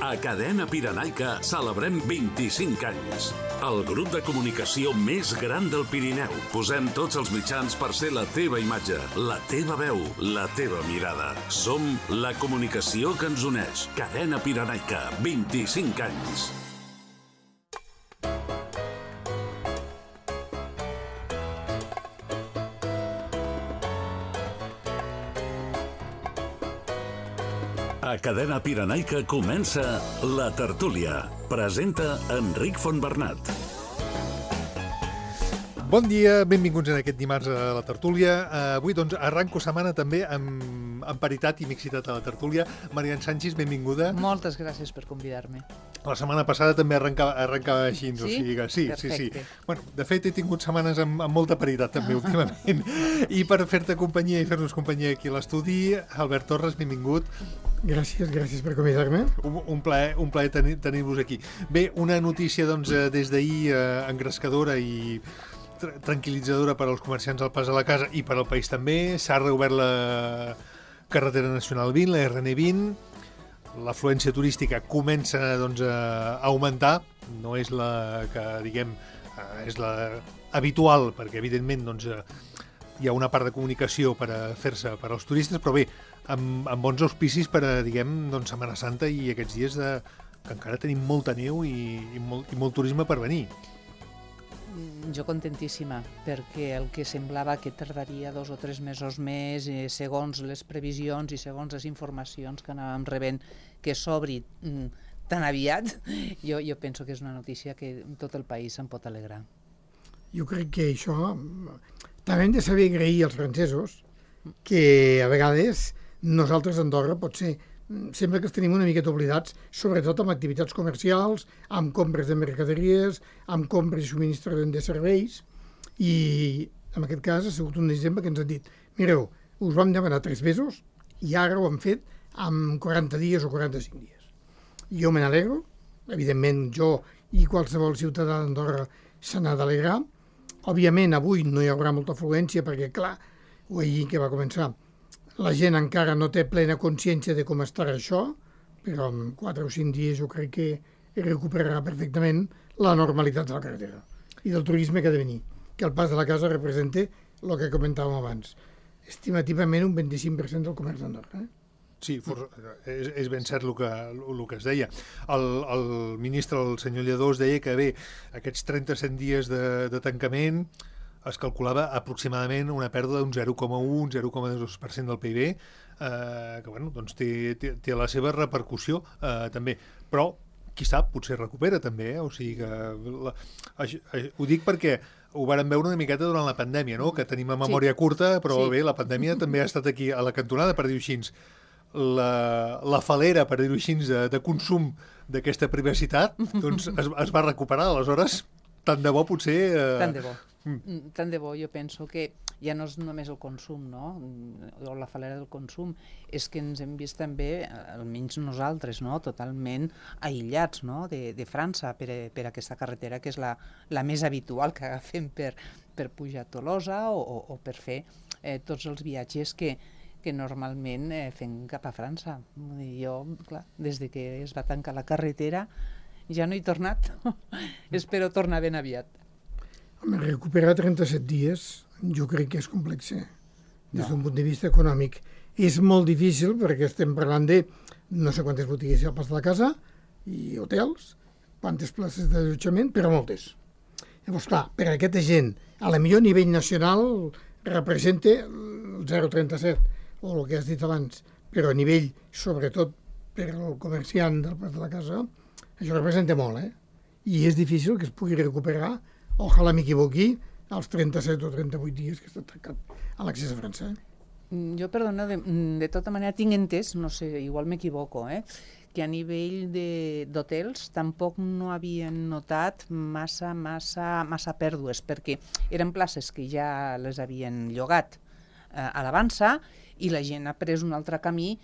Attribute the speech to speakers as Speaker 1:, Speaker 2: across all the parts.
Speaker 1: A Cadena Pirenaica celebrem 25 anys. El grup de comunicació més gran del Pirineu. Posem tots els mitjans per ser la teva imatge, la teva veu, la teva mirada. Som la comunicació que ens uneix. Cadena Pirenaica, 25 anys. A Cadena Pirenaica comença La Tertúlia. Presenta Enric Fontbernat.
Speaker 2: Bon dia, benvinguts en aquest dimarts a La Tertúlia. Avui doncs arranco setmana també amb paritat i mixitat a La Tertúlia. Marian Sánchez, benvinguda.
Speaker 3: Moltes gràcies per convidar-me.
Speaker 2: La setmana passada també arrencava així.
Speaker 3: Sí?
Speaker 2: O sigui que sí.
Speaker 3: Perfecte.
Speaker 2: Bueno, de fet, he tingut setmanes amb molta paritat també últimament. I per fer-te companyia i fer-nos companyia aquí a l'estudi, Albert Torres, benvingut.
Speaker 4: Gràcies per convidar-me.
Speaker 2: Un plaer tenir-vos aquí. Bé, una notícia doncs, des d'ahir engrescadora i tranquil·litzadora per als comerciants al pas a la casa i per al país també. S'ha reobert la carretera nacional 20, la RN20. L'afluència turística comença doncs, a augmentar. No és la que, diguem, és la habitual, perquè evidentment doncs, hi ha una part de comunicació per a fer-se per als turistes, però bé, amb bons auspicis per a, diguem, doncs, Setmana Santa i aquests dies que encara tenim molta neu i molt turisme per venir.
Speaker 3: Jo contentíssima, perquè el que semblava que tardaria 2 o 3 mesos més, segons les previsions i segons les informacions que anàvem rebent, que s'obri tan aviat, jo penso que és una notícia que tot el país se'n pot alegrar.
Speaker 4: Jo crec que això també hem de saber agrair als francesos que a vegades nosaltres a Andorra potser sembla que els tenim una miqueta oblidats, sobretot amb activitats comercials, amb compres de mercaderies, amb compres i subministrament de serveis, i en aquest cas ha sigut un exemple que ens han dit: mireu, us vam demanar 3 mesos i ara ho hem fet en 40 dies o 45 dies. Jo me n'alegro, evidentment jo i qualsevol ciutadà d'Andorra se n'ha d'alegrar. Òbviament avui no hi haurà molta afluència perquè, clar, ho he dit que va començar, la gent encara no té plena consciència de com estarà això, però en 4 o 5 dies jo crec que recuperarà perfectament la normalitat de la carretera i del turisme que ha de venir, que el pas de la casa representa el que comentàvem abans, estimativament un 25% del comerç d'Andorra.
Speaker 2: Sí, és ben cert el que es deia. El ministre, el senyor Lledós, deia que bé, aquests 37 dies de tancament es calculava aproximadament una pèrdua d'un 0,1-0,2% del PIB, que bueno, doncs té la seva repercussió també. Però, qui sap, potser recupera també, o sigui que... Ho dic perquè ho vàrem veure una miqueta durant la pandèmia, no? Que tenim a memòria curta, però bé, la pandèmia també ha estat aquí a la cantonada, per dir-ho així. La falera, per dir-ho així, de consum d'aquesta privacitat, doncs es va recuperar. Aleshores, tant de bo potser...
Speaker 3: Tant de bo. Tant de bo, jo penso que ja no és només el consum, no? O la falera del consum, és que ens hem vist també, almenys nosaltres, no? Totalment aïllats, no? de França per aquesta carretera, que és la més habitual que agafem per pujar a Tolosa o per fer tots els viatges que normalment fem cap a França. Jo, clar, des que es va tancar la carretera ja no he tornat. Espero tornar ben aviat.
Speaker 4: Home, recuperar 37 dies jo crec que és complex, des d'un punt de vista econòmic. És molt difícil perquè estem parlant de no sé quantes botigues hi ha al pas de la casa i hotels, quantes places d'allotjament, però moltes. Llavors, clar, per a aquesta gent, a la millor nivell nacional representa el 0,37 o el que has dit abans, però a nivell, sobretot per al comerciant del pas de la casa, això representa molt, I és difícil que es pugui recuperar, ojalà m'equivoqui, als 37 o 38 dies que està tancat a l'accés a França.
Speaker 3: Jo, perdona, de tota manera tinc entès, no sé, igual m'equivoco, que a nivell d'hotels tampoc no havien notat massa pèrdues, perquè eren places que ja les havien llogat a l'avança i la gent ha pres un altre camí.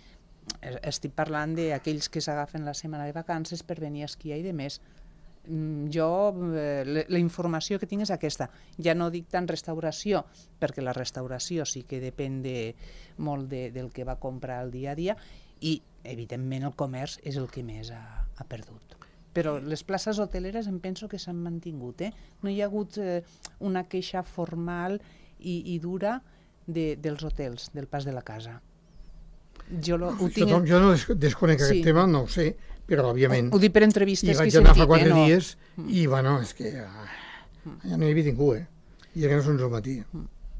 Speaker 3: Estic parlant d'aquells que s'agafen la setmana de vacances per venir a esquiar i de més. Jo, la informació que tinc és aquesta. Ja no dic tant restauració, perquè la restauració sí que depèn molt del que va comprar el dia a dia, i evidentment el comerç és el que més ha ha perdut. Però les places hoteleres em penso que s'han mantingut. No hi ha hagut una queixa formal i dura dels hotels, del pas de la casa. Jo no
Speaker 4: desconec aquest tema, no ho sé, però òbviament...
Speaker 3: Ho dic per entrevistes que he sentit.
Speaker 4: I vaig anar fa 4 dies i, bueno, és que ja no hi havia ningú, i era que no són el matí.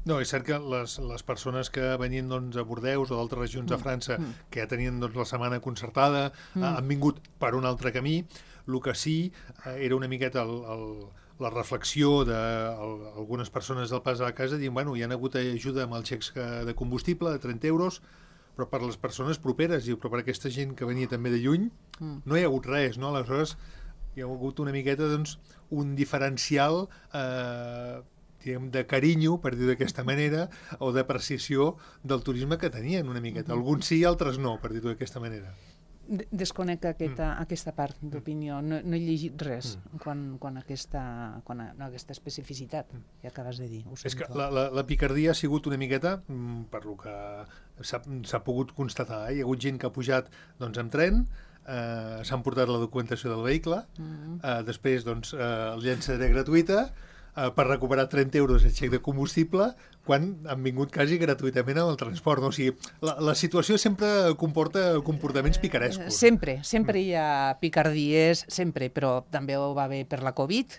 Speaker 2: No, és cert que les persones que venien a Bordeus o d'altres regions de França que ja tenien la setmana concertada han vingut per un altre camí. El que sí era una miqueta la reflexió d'algunes persones del pas a la casa dient, bueno, hi ha hagut ajuda amb els xecs de combustible de 30 euros, però per les persones properes, però per aquesta gent que venia també de lluny, no hi ha hagut res, no? Aleshores hi ha hagut una miqueta, doncs, un diferencial de carinyo, per dir d'aquesta manera, o d'apreciació del turisme que tenien una miqueta. Alguns sí, altres no, per dir-ho d'aquesta manera.
Speaker 3: Desconec aquesta part d'opinió. No he llegit res quan aquesta especificitat que acabes de dir.
Speaker 2: És que la picardia ha sigut una miqueta, per lo que s'ha pogut constatar. Hi ha hagut gent que ha pujat amb tren, s'han portat la documentació del vehicle, després el llançadera gratuïta, per recuperar 30 euros el xec de combustible quan han vingut quasi gratuïtament amb el transport. No? O sigui, la situació sempre comporta comportaments picarescos.
Speaker 3: Sempre hi ha picardies, sempre, però també ho va haver per la Covid.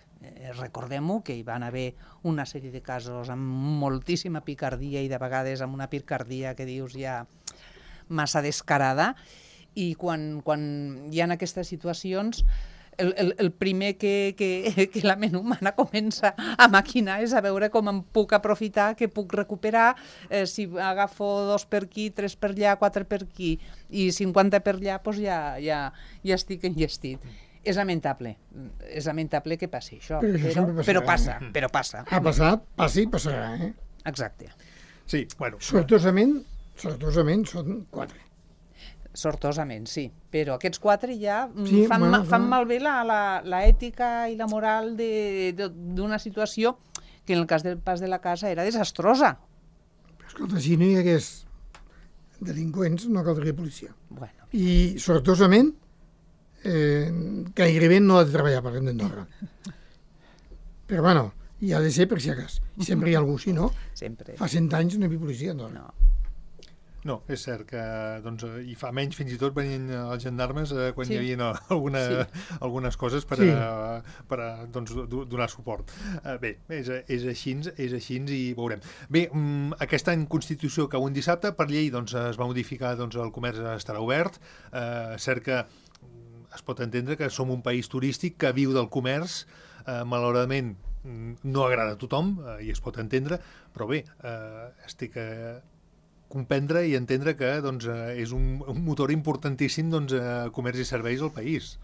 Speaker 3: Recordem-ho, que hi van haver una sèrie de casos amb moltíssima picardia i de vegades amb una picardia que dius ja massa descarada, i quan hi ha aquestes situacions el primer que la ment humana comença a maquinar és a veure com em puc aprofitar, què puc recuperar, si agafo 2 per aquí, 3 per allà, 4 per aquí i 50 per allà, doncs ja estic enllestit. És lamentable que passi això, però passa.
Speaker 4: Ha passat, passa i passarà,
Speaker 3: Exacte.
Speaker 2: Sí, bueno.
Speaker 4: Sortosament són 4.
Speaker 3: Sortosament, sí. Però aquests 4 ja fan malbé l'ètica i la moral d'una situació que en el cas del pas de la casa era desastrosa.
Speaker 4: Però escolta, si no hi hagués delinqüents no caldria policia.
Speaker 3: Bueno.
Speaker 4: I sortosament gairebé no ha de treballar per l'Hem d'Andorra. Però bueno, hi ha de ser per si acas. Sempre hi ha algú, si no, fa 100 anys no hi havia policia a Andorra.
Speaker 2: No, és cert que i fa menys fins i tot venien els gendarmes quan hi havia algunes coses per donar suport. Bé, és així i veurem. Bé, aquest any Constitució cau un dissabte, per llei es va modificar el comerç estarà obert. Cert que es pot entendre que som un país turístic que viu del comerç, malauradament no agrada a tothom i es pot entendre, però bé, estic comprendre i entendre que és un motor importantíssim comerç i serveis al país.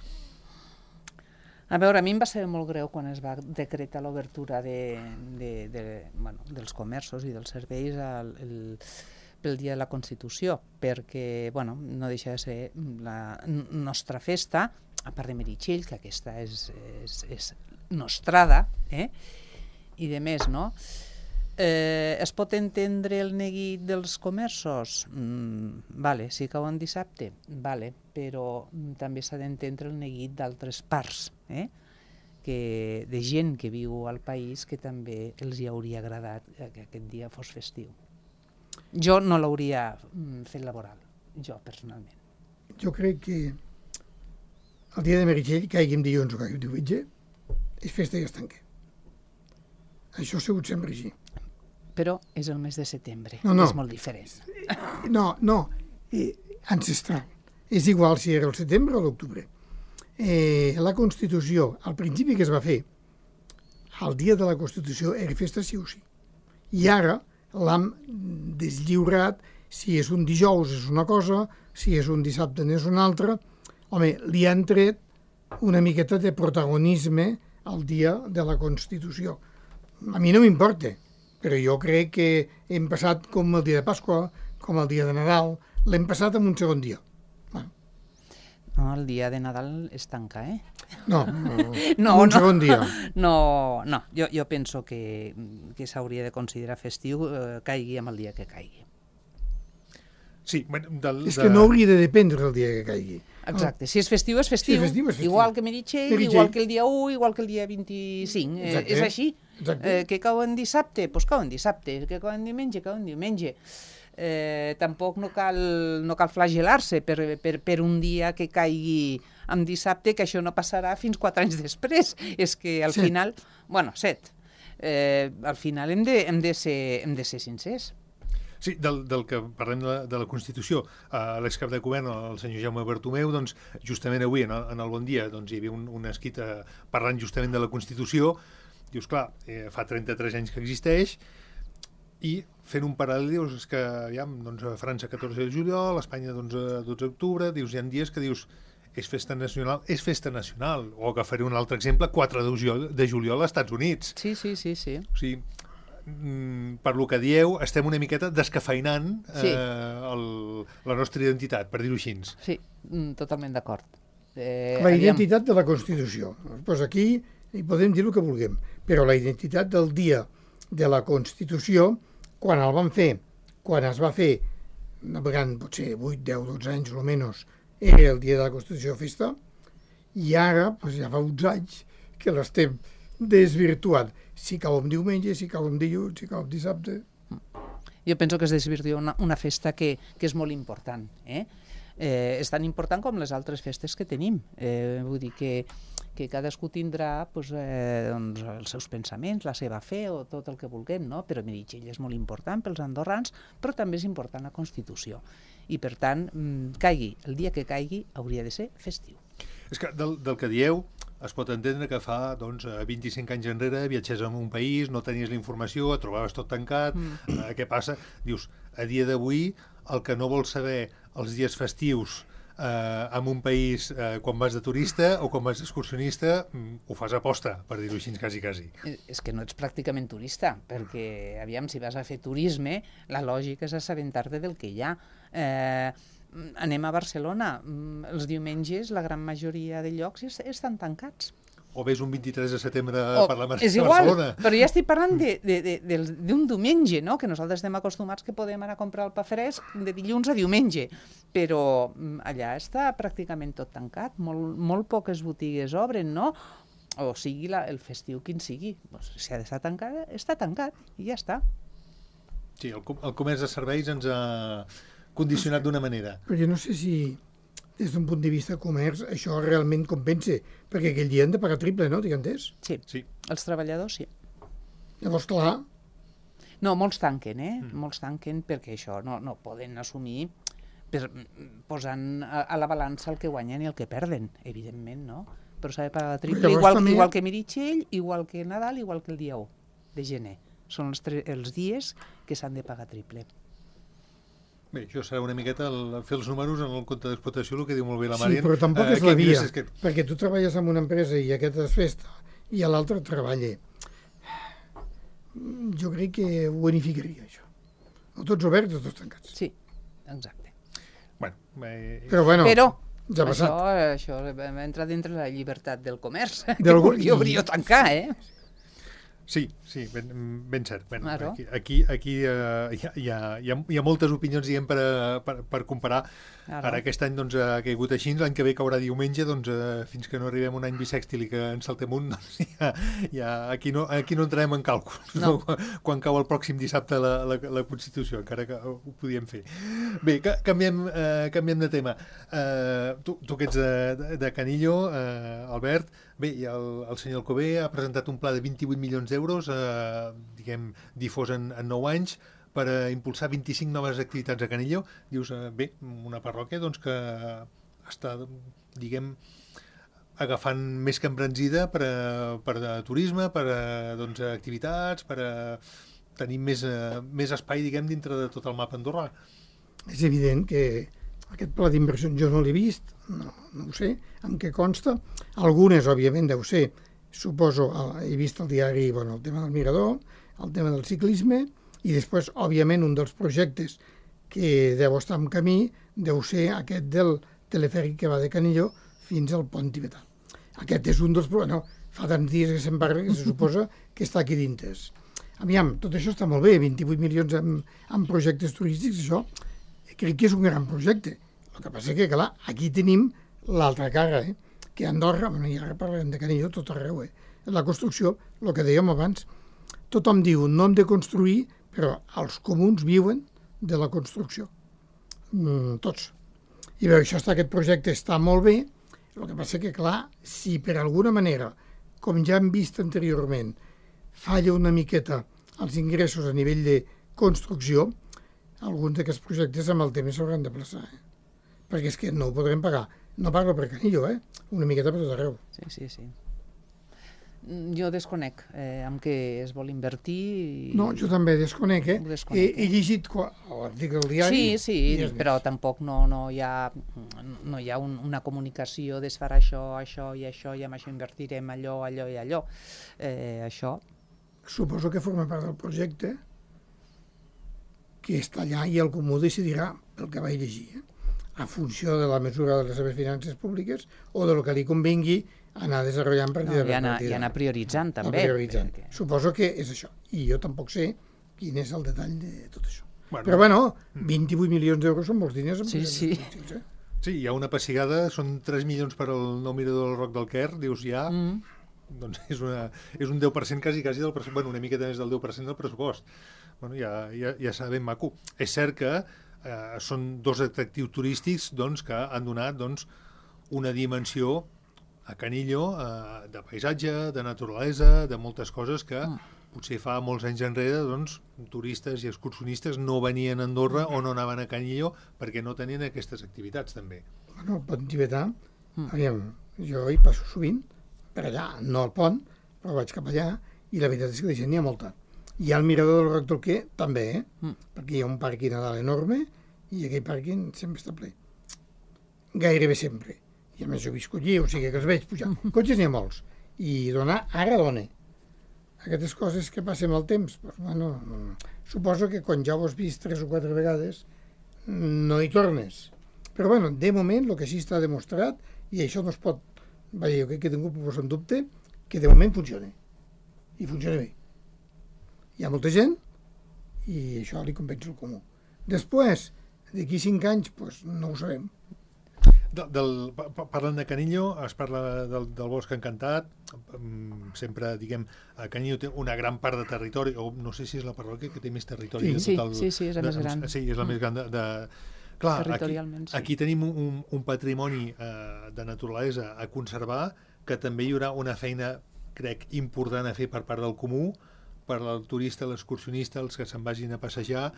Speaker 3: A veure, a mi em va ser molt greu quan es va decretar l'obertura dels comerços i dels serveis pel dia de la Constitució, perquè no deixa de ser la nostra festa, a part de Meritxell, que aquesta és nostrada, i de més, no? Es pot entendre el neguit dels comerços? Vale, si cau en dissabte, vale, però també s'ha d'entendre el neguit d'altres parts, de gent que viu al país que també els hi hauria agradat que aquest dia fos festiu. Jo no l'hauria fet laboral, jo personalment.
Speaker 4: Jo crec que el dia de Meritxell, caigui en dilluns o caigui en diumenge, és festa i es tanca. Això ha sigut sempre així.
Speaker 3: Però és el mes de setembre, és molt diferent.
Speaker 4: No, ancestral. És igual si era el setembre o l'octubre. La Constitució, al principi que es va fer, el dia de la Constitució era festa sí o sí. I ara l'hem deslliurat, si és un dijous és una cosa, si és un dissabte n'és una altra. Home, li han tret una miqueta de protagonisme al dia de la Constitució. A mi no m'importa, però jo crec que hem passat com el dia de Pasqua, com el dia de Nadal, l'hem passat en un segon dia.
Speaker 3: No, el dia de Nadal es tanca,
Speaker 4: No, un segon dia.
Speaker 3: No, jo penso que s'hauria de considerar festiu, caigui amb el dia que caigui.
Speaker 2: Sí,
Speaker 4: És que no hauria de dependre el dia que caigui.
Speaker 3: Exacte, si és festiu, és festiu.
Speaker 4: Si és festiu, és festiu.
Speaker 3: Igual que Meritxell, igual que el dia 1, igual que el dia 25.
Speaker 4: Exacte.
Speaker 3: És així.
Speaker 4: Exacte.
Speaker 3: Que cau en dissabte, doncs cau en dissabte. Que cau en diumenge, cau en diumenge. Tampoc no cal flagel·lar-se per un dia que caigui en dissabte, que això no passarà fins 4 anys després. És que al final... Bueno, 7. Al final hem de ser sincers.
Speaker 2: Sí, del que parlem de la Constitució, l'excap de govern, el senyor Jaume Bartomeu, doncs, justament avui, en el Bon Dia, doncs, hi havia un escrit parlant justament de la Constitució. Dius, clar, fa 33 anys que existeix, i fent un paral·lel, dius, que doncs, a França 14 de juliol, a Espanya 12 d'octubre, dius, hi ha dies que dius, és festa nacional, o que faré un altre exemple, 4 de juliol als Estats Units.
Speaker 3: Sí.
Speaker 2: O sigui, per lo que dieu, estem una miqueta descafeinant la nostra identitat, per dir-ho així.
Speaker 3: Sí, totalment d'acord.
Speaker 4: La identitat de la Constitució. Doncs aquí hi podem dir el que vulguem, però la identitat del dia de la Constitució, quan el van fer, quan es va fer, navegant potser 8, 10, 12 anys o menys, era el dia de la Constitució festa, i ara doncs ja fa uns anys que l'estem desvirtuant. Si cau en diumenge, si cau en dilluns, si cau en dissabte...
Speaker 3: Jo penso que es desvirtua una festa que és molt important. És tan important com les altres festes que tenim. Vull dir que cadascú tindrà doncs, els seus pensaments, la seva fe o tot el que vulguem, no? Però Meritxell és molt important pels andorrans, però també és important la Constitució. I per tant, caigui el dia que caigui, hauria de ser festiu.
Speaker 2: És que del que dieu es pot entendre que fa 25 anys enrere viatges a un país, no tenies la informació, et trobaves tot tancat, què passa? Dius, a dia d'avui, el que no vols saber els dies festius en un país quan vas de turista o quan vas d'excursionista, ho fas a posta, per dir-ho així, quasi.
Speaker 3: És que no ets pràcticament turista, perquè, aviam, si vas a fer turisme, la lògica és assabentar-te del que hi ha. Anem a Barcelona, els diumenges la gran majoria de llocs estan tancats.
Speaker 2: O ves un 23 de setembre per la
Speaker 3: és igual,
Speaker 2: Barcelona.
Speaker 3: Però ja estic parlant d'un diumenge, no? Que nosaltres estem acostumats que podem anar a comprar el pa fresc de dilluns a diumenge, però allà està pràcticament tot tancat, molt poques botigues obren, no? O sigui el festiu quin sigui. Si ha d'estar tancat, està tancat i ja està.
Speaker 2: Sí, el comerç de serveis ens ha condicionat d'una manera.
Speaker 4: Però jo no sé si, des d'un punt de vista comerç, això realment compensa, perquè aquell dia han de pagar triple, no? Tinc entès?
Speaker 3: Sí, els treballadors sí.
Speaker 4: Llavors, clar...
Speaker 3: No, molts tanquen, Molts tanquen perquè això no poden assumir posant a la balança el que guanyen i el que perden, evidentment, no? Però s'ha de pagar triple, igual que Meritxell, igual que Nadal, igual que el dia 1 de gener. Són els dies que s'han de pagar triple.
Speaker 2: Bé, això serà una miqueta fer els números en el compte d'explotació, el que diu molt bé la Marian.
Speaker 4: Sí, però tampoc és la via, perquè tu treballes en una empresa i aquest és festa i l'altre treballa. Jo crec que ho unificaria, això. O tots oberts o tots tancats.
Speaker 3: Sí, exacte.
Speaker 4: Però bueno,
Speaker 3: ja ha passat. Això entra dintre la llibertat del comerç, que vulgui obrir o tancar,
Speaker 2: Sí, ben cert. Aquí hi ha moltes opinions, diguem, per comparar. Ara aquest any ha caigut així, l'any que ve caurà diumenge, fins que no arribem un any bisèxtil i que en saltem un, aquí no entrarem en càlculs. No. Quan cau el pròxim dissabte la Constitució, encara que ho podíem fer. Bé, canviem de tema. Tu que ets de Canillo, Albert, bé, el senyor Alcover ha presentat un pla de 28 milions d'euros, difós en 9 anys, per impulsar 25 noves activitats a Canillo. Dius, bé, una parròquia que està, agafant més que embranzida per turisme, per activitats, per tenir més espai, dintre de tot el mapa andorrà.
Speaker 4: És evident que aquest pla d'inversió jo no l'he vist, no ho sé, en què consta. Algunes, òbviament, deu ser, suposo, he vist al diari el tema del mirador, el tema del ciclisme, i després, òbviament, un dels projectes que deu estar en camí deu ser aquest del telefèric que va de Canillo fins al pont tibetà. Aquest és un dels... fa tants dies que se'n parla que se suposa que està aquí dintre. Aviam, tot això està molt bé, 28 milions en projectes turístics, això, crec que és un gran projecte. El que passa que, clar, aquí tenim l'altra cara, que a Andorra, i ara parlem de Canillo tot arreu, la construcció, el que dèiem abans, tothom diu no hem de construir, però els comuns viuen de la construcció. Tots. I bé, aquest projecte està molt bé, el que passa que, clar, si per alguna manera, com ja hem vist anteriorment, falla una miqueta els ingressos a nivell de construcció, alguns d'aquests projectes amb el temps s'hauran de plaçar. Perquè és que no ho podrem pagar. No parlo per Canillo, una miqueta per tot arreu.
Speaker 3: Sí. Jo desconec amb què es vol invertir.
Speaker 4: No, jo també desconec, He llegit l'article del diari.
Speaker 3: Sí, però tampoc no hi ha una comunicació de fer això i això, i amb això invertirem allò i allò. Això.
Speaker 4: Suposo que forma part del projecte, que està allà i el comú decidirà, pel que vaig llegir, a funció de la mesura de les seves finances públiques o del que li convingui anar desenvolupant partida per partida.
Speaker 3: I anar prioritzant, també.
Speaker 4: Suposo que és això. I jo tampoc sé quin és el detall de tot això. Però, bueno, 28 milions d'euros són molts diners.
Speaker 3: Sí.
Speaker 2: Sí, hi ha una pessigada, són 3 milions per al nou mirador del Roc del Quer, dius ja... Doncs és un 10% quasi del pressupost, bueno, una miqueta més del 10% del pressupost. Bueno, ja serà ben maco. És cert que són dos atractius turístics que han donat una dimensió a Canillo de paisatge, de naturalesa, de moltes coses que potser fa molts anys enrere turistes i excursionistes no venien a Andorra o no anaven a Canillo perquè no tenien aquestes activitats també.
Speaker 4: Bueno, el pont tibetà, jo hi passo sovint, per allà, no al pont, però vaig cap allà, i la veritat és que de gent n'hi ha molta. Hi ha el mirador del Roc del Quer, també, perquè hi ha un pàrquing a dalt enorme, i aquell pàrquing sempre està ple. Gairebé sempre. I a més jo visco allí, o sigui que els veig pujar. Cotxes n'hi ha molts. I ara dona. Aquestes coses que passen el temps, suposo que quan ja ho has vist 3 o 4 vegades, no hi tornes. Però, de moment, el que sí està demostrat, i això no es pot... jo crec que ningú posa en dubte que de moment funciona. I funciona bé. Hi ha molta gent i això li convenç el comú. Després, d'aquí 5 anys, no ho sabem.
Speaker 2: Parlant de Canillo, es parla del Bosc Encantat, sempre, a Canillo té una gran part de territori, o no sé si és la parròquia que té més territori.
Speaker 3: Sí, és la més gran.
Speaker 2: Sí, és la més gran Clar, aquí tenim un patrimoni de naturalesa a conservar, que també hi haurà una feina, crec, important a fer per part del comú, per al turista, l'excursionista, els que se'n vagin a passejar,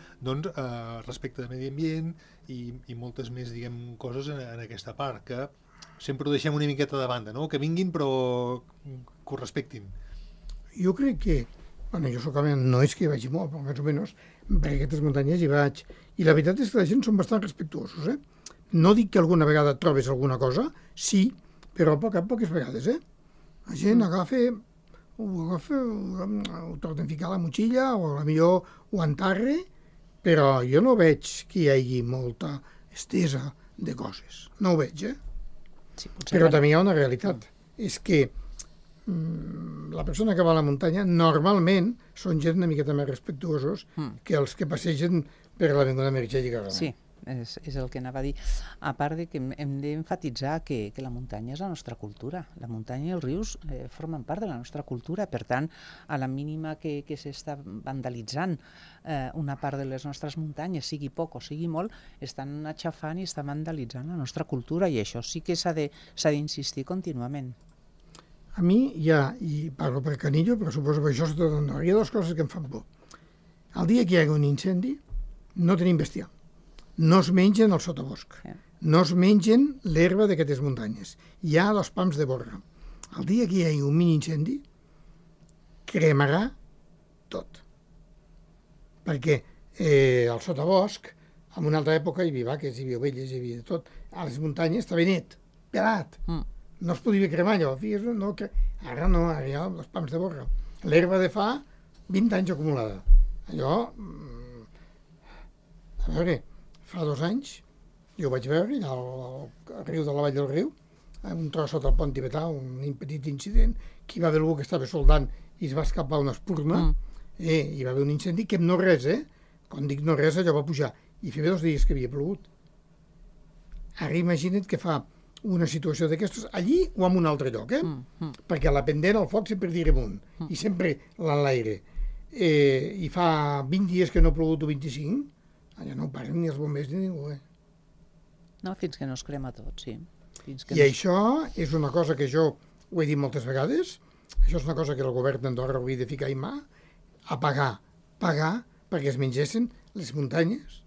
Speaker 2: respecte de medi ambient i moltes més, coses en aquesta part, que sempre ho deixem una miqueta de banda, no? Que vinguin però que ho respectin.
Speaker 4: Jo crec que, jo solament no és que hi vagi molt, però més o menys, perquè aquestes muntanyes hi vaig, i la veritat és que la gent són bastant respectuosos, No dic que alguna vegada trobes alguna cosa, sí, però poques vegades, La gent ho torna a ficar a la motxilla, o potser ho enterra, però jo no veig que hi hagi molta estesa de coses. No ho veig,
Speaker 3: Sí,
Speaker 4: però també hi ha una realitat. És que la persona que va a la muntanya normalment són gent una miqueta més respectuosos que els que passegen per l'avinguda Meritxell i Carrera.
Speaker 3: Sí, és el que anava a dir. A part de que hem d'emfatitzar que la muntanya és la nostra cultura. La muntanya i els rius formen part de la nostra cultura. Per tant, a la mínima que s'està vandalitzant una part de les nostres muntanyes, sigui poc o sigui molt, estan aixafant i estan vandalitzant la nostra cultura, i això sí que s'ha d'insistir contínuament.
Speaker 4: A mi hi ha, i parlo per Canillo, però suposo que això és tot Andorra, hi ha dues coses que em fan por. El dia que hi hagi un incendi, no tenim bestiar. No es mengen el sotabosc. No es mengen l'herba d'aquestes muntanyes. Hi ha 2 pams de borra. El dia que hi hagi un mini incendi, cremarà tot. Perquè el sotabosc, en una altra època hi havia vaques, hi havia ovelles, hi havia tot. A les muntanyes estava net, pelat. No es podia cremar allò. Ara no, ara hi ha 2 pams de borra. L'herba de fa 20 anys acumulada. Allò... A veure, fa 2 anys, jo ho vaig veure, allà al riu de la Vall del Riu, un tros sota el pont tibetà, un petit incident, que hi va haver algú que estava soldant i es va escapar una espurna, hi va haver un incendi que no res, quan dic no res, allò va pujar. i feia 2 dies que havia plogut. Ara imagina't que fa una situació d'aquestes allí o en un altre lloc, perquè la pendent al foc sempre tira amunt, i sempre l'enlaire. I fa 20 dies que no ha plogut o 25, allà no ho paren ni els bombers ni ningú,
Speaker 3: No, fins que no es crema tot, sí.
Speaker 4: I això és una cosa que jo ho he dit moltes vegades, això és una cosa que el govern d'Andorra hauria de ficar en mà, a pagar perquè es mengessin les muntanyes,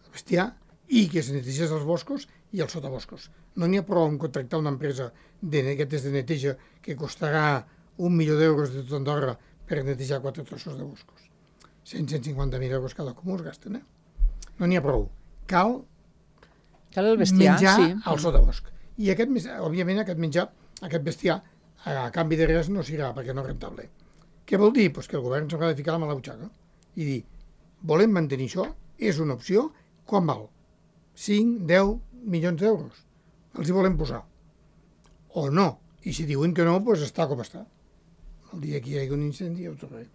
Speaker 4: el bestiar, i que es netegés els boscos i els sotaboscos. No n'hi ha prou en contractar una empresa d'aquestes de neteja que costarà 1 milió d'euros de tot Andorra per netejar 4 trossos de boscos. 150.000 euros cada comú es gasten, No n'hi ha prou. Cal
Speaker 3: el bestiar,
Speaker 4: menjar
Speaker 3: sí.
Speaker 4: al sotabosc. I òbviament aquest menjar, aquest bestiar, a canvi de res no serà perquè no és rentable. Què vol dir? Pues que el govern s'haurà de ficar la mà a la butxaca i dir, volem mantenir això, és una opció, quan val? 5, 10 milions d'euros. Els hi volem posar. O no. I si diuen que no, doncs està com està. El dia que hi hagi un incendi ja ho tornarem.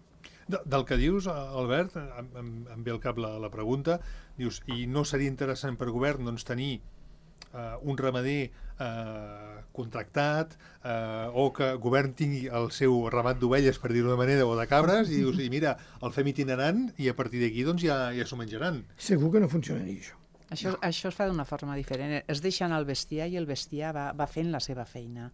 Speaker 2: Del que dius, Albert, em ve al cap la pregunta, dius, i no seria interessant per govern doncs, tenir un ramader contractat o que el govern tingui el seu ramat d'ovelles, per dir-ho d'una manera, o de cabres, i dius, i mira, el fem itinerant i a partir d'aquí doncs, ja s'ho menjaran.
Speaker 4: Segur que no funcionaria això.
Speaker 3: Això es fa d'una forma diferent. Es deixen el bestiar i el bestiar va fent la seva feina.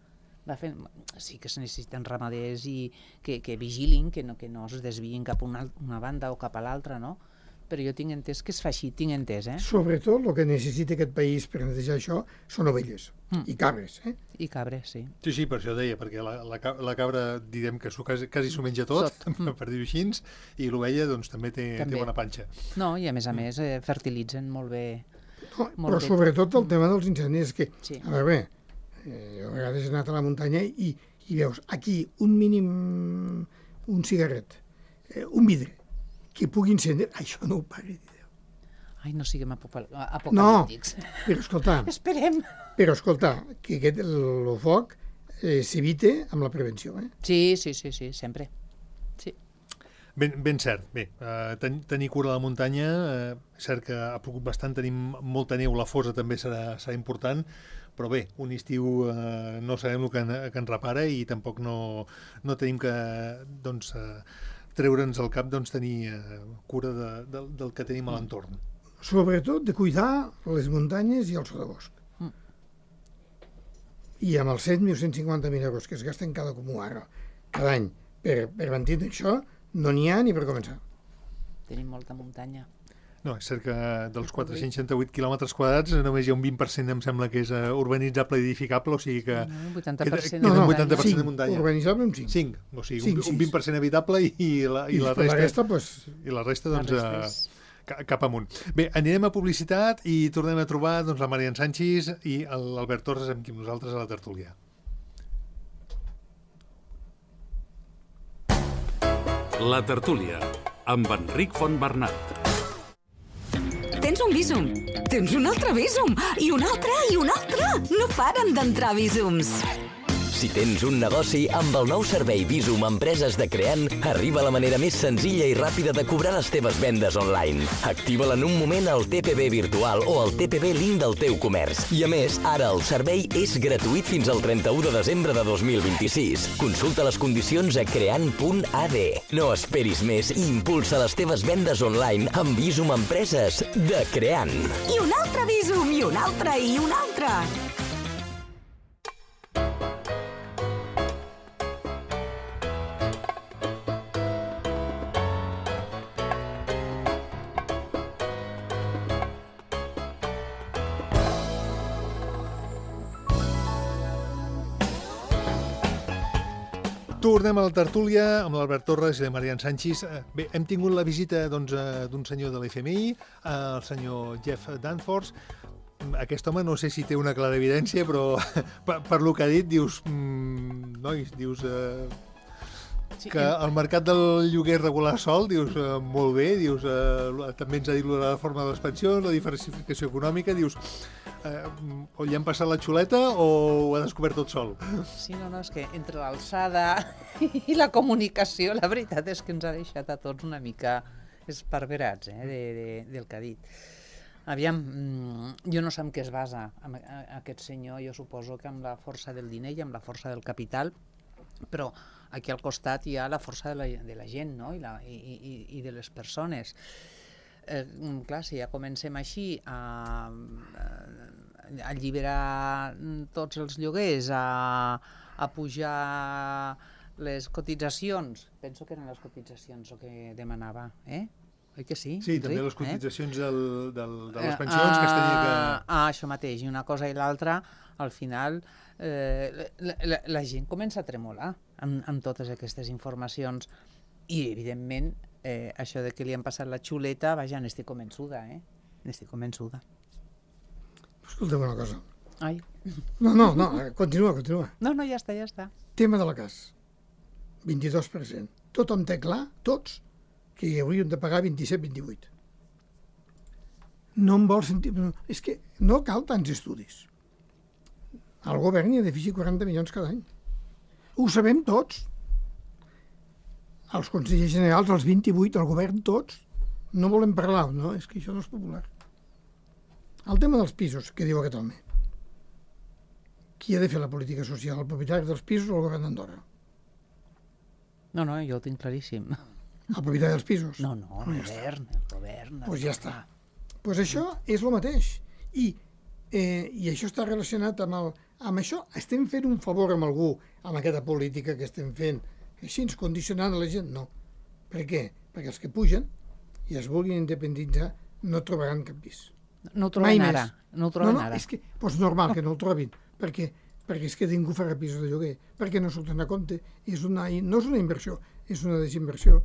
Speaker 3: Sí que es necessiten ramaders i que vigilin, que no es desviïn cap a una banda o cap a l'altra, no? Però jo tinc entès que es fa així, tinc entès,
Speaker 4: Sobretot el que necessita aquest país per netejar això són ovelles i cabres,
Speaker 3: I cabres, sí.
Speaker 2: Sí, per això deia, perquè la cabra, direm que quasi s'ho menja tot, per dir-ho així, i l'ovella doncs, també té bona panxa.
Speaker 3: No, i a més fertilitzen molt bé.
Speaker 4: Però sobretot el tema dels incendis, que, a veure, jo a vegades he anat a la muntanya i veus aquí un mínim, un cigarret, un vidre, que pugui encendre, això no ho pare de Déu.
Speaker 3: Ai, no siguem apocalíptics.
Speaker 4: No, però escolta,
Speaker 3: esperem.
Speaker 4: Però escolta, que el foc s'evita amb la prevenció.
Speaker 3: Sí, sempre. Sí.
Speaker 2: Ben cert. Bé, tenir cura de la muntanya, cert que ha plogut bastant, tenim molta neu, la fosa també serà important, però bé, un estiu no sabem el que ens repara i tampoc no tenim que treure'ns al cap tenir cura del que tenim a l'entorn.
Speaker 4: Sobretot de cuidar les muntanyes i el sotabosc. I amb els 150.000 euros que es gasten cada comú ara, cada any, per mantenir això, no n'hi ha ni per començar.
Speaker 3: Tenim molta muntanya.
Speaker 2: No, és cert que dels 468 quilòmetres quadrats només hi ha un 20%, em sembla que és urbanitzable i edificable, o sigui que...
Speaker 3: Un 80%
Speaker 2: de muntanya.
Speaker 4: 5, urbanitzable un 5.
Speaker 2: 5, o sigui, un 20% habitable i la resta... I la resta, doncs, cap amunt. Bé, anirem a publicitat i tornem a trobar la Marian Sanchis i l'Albert Torres amb qui nosaltres a la tertúlia.
Speaker 1: La tertúlia, amb Enric Fontbernat.
Speaker 5: Tens un Bizum, tens un altre Bizum, i un altre, i un altre. No paren d'entrar Bizums.
Speaker 6: Si tens un negoci, amb el nou servei Bizum Empreses de Creant, arriba la manera més senzilla i ràpida de cobrar les teves vendes online. Activa-la en un moment al TPB virtual o al TPB link del teu comerç. I a més, ara el servei és gratuït fins al 31 de desembre de 2026. Consulta les condicions a creant.ad. No esperis més i impulsa les teves vendes online amb Bizum Empreses de Creant.
Speaker 5: I un altre Bizum, i un altre, i un altre.
Speaker 2: Tornem a la tertúlia amb l'Albert Torres i la Marian Sanchis. Bé, hem tingut la visita d'un senyor de l'FMI, el senyor Jeff Danforth. Aquest home no sé si té una clara evidència, però per lo que ha dit, dius... Nois, dius... que el mercat del lloguer regular sol, dius, molt bé, dius, també ens ha dit la reforma de les pensions, la diversificació econòmica, dius, o li han passat la xuleta o ho ha descobert tot sol?
Speaker 3: Sí, no, és que entre l'alçada i la comunicació, la veritat és que ens ha deixat a tots una mica esparverats del que ha dit. Aviam, jo no sé en què es basa aquest senyor, jo suposo que amb la força del diner i amb la força del capital, però aquí al costat hi ha la força de la gent, no? I de les persones. Clar, si ja comencem així a alliberar tots els lloguers, a pujar les cotitzacions, penso que eren les cotitzacions el que demanava, oi que sí?
Speaker 2: Sí, també les cotitzacions de les pensions que es tenia que...
Speaker 3: Això mateix, i una cosa i l'altra, al final la gent comença a tremolar amb totes aquestes informacions i, evidentment, això de que li han passat la xuleta, vaja, n'estic convençuda, n'estic convençuda.
Speaker 4: Escolta'm una cosa.
Speaker 3: Ai.
Speaker 4: No, continua.
Speaker 3: No, ja està.
Speaker 4: Tema de la CAS. 22%. Tothom té clar, tots, que hi hauríem de pagar 27-28. No em vol sentir... És que no cal tants estudis. El govern hi ha de fixar 40 milions cada any. Ho sabem tots. Els consellers generals, els 28, el govern, tots. No volem parlar, no? És que això no és popular. El tema dels pisos, que diu aquest home. Qui ha de fer la política social? El propietari dels pisos o el govern d'Andorra?
Speaker 3: No, jo ho tinc claríssim.
Speaker 4: El propietari dels pisos?
Speaker 3: No, el govern.
Speaker 4: Doncs ja està. Doncs això és el mateix. I això està relacionat amb això. Estem fent un favor amb algú, amb aquesta política que estem fent, així ens condicionant a la gent? No. Per què? Perquè els que pugen i es vulguin independitzar no trobaran cap pis.
Speaker 3: No ho troben ara.
Speaker 4: És que, doncs normal que no el trobin, perquè és que ningú farà pisos de lloguer, perquè no surten a compte. No és una inversió, és una desinversió.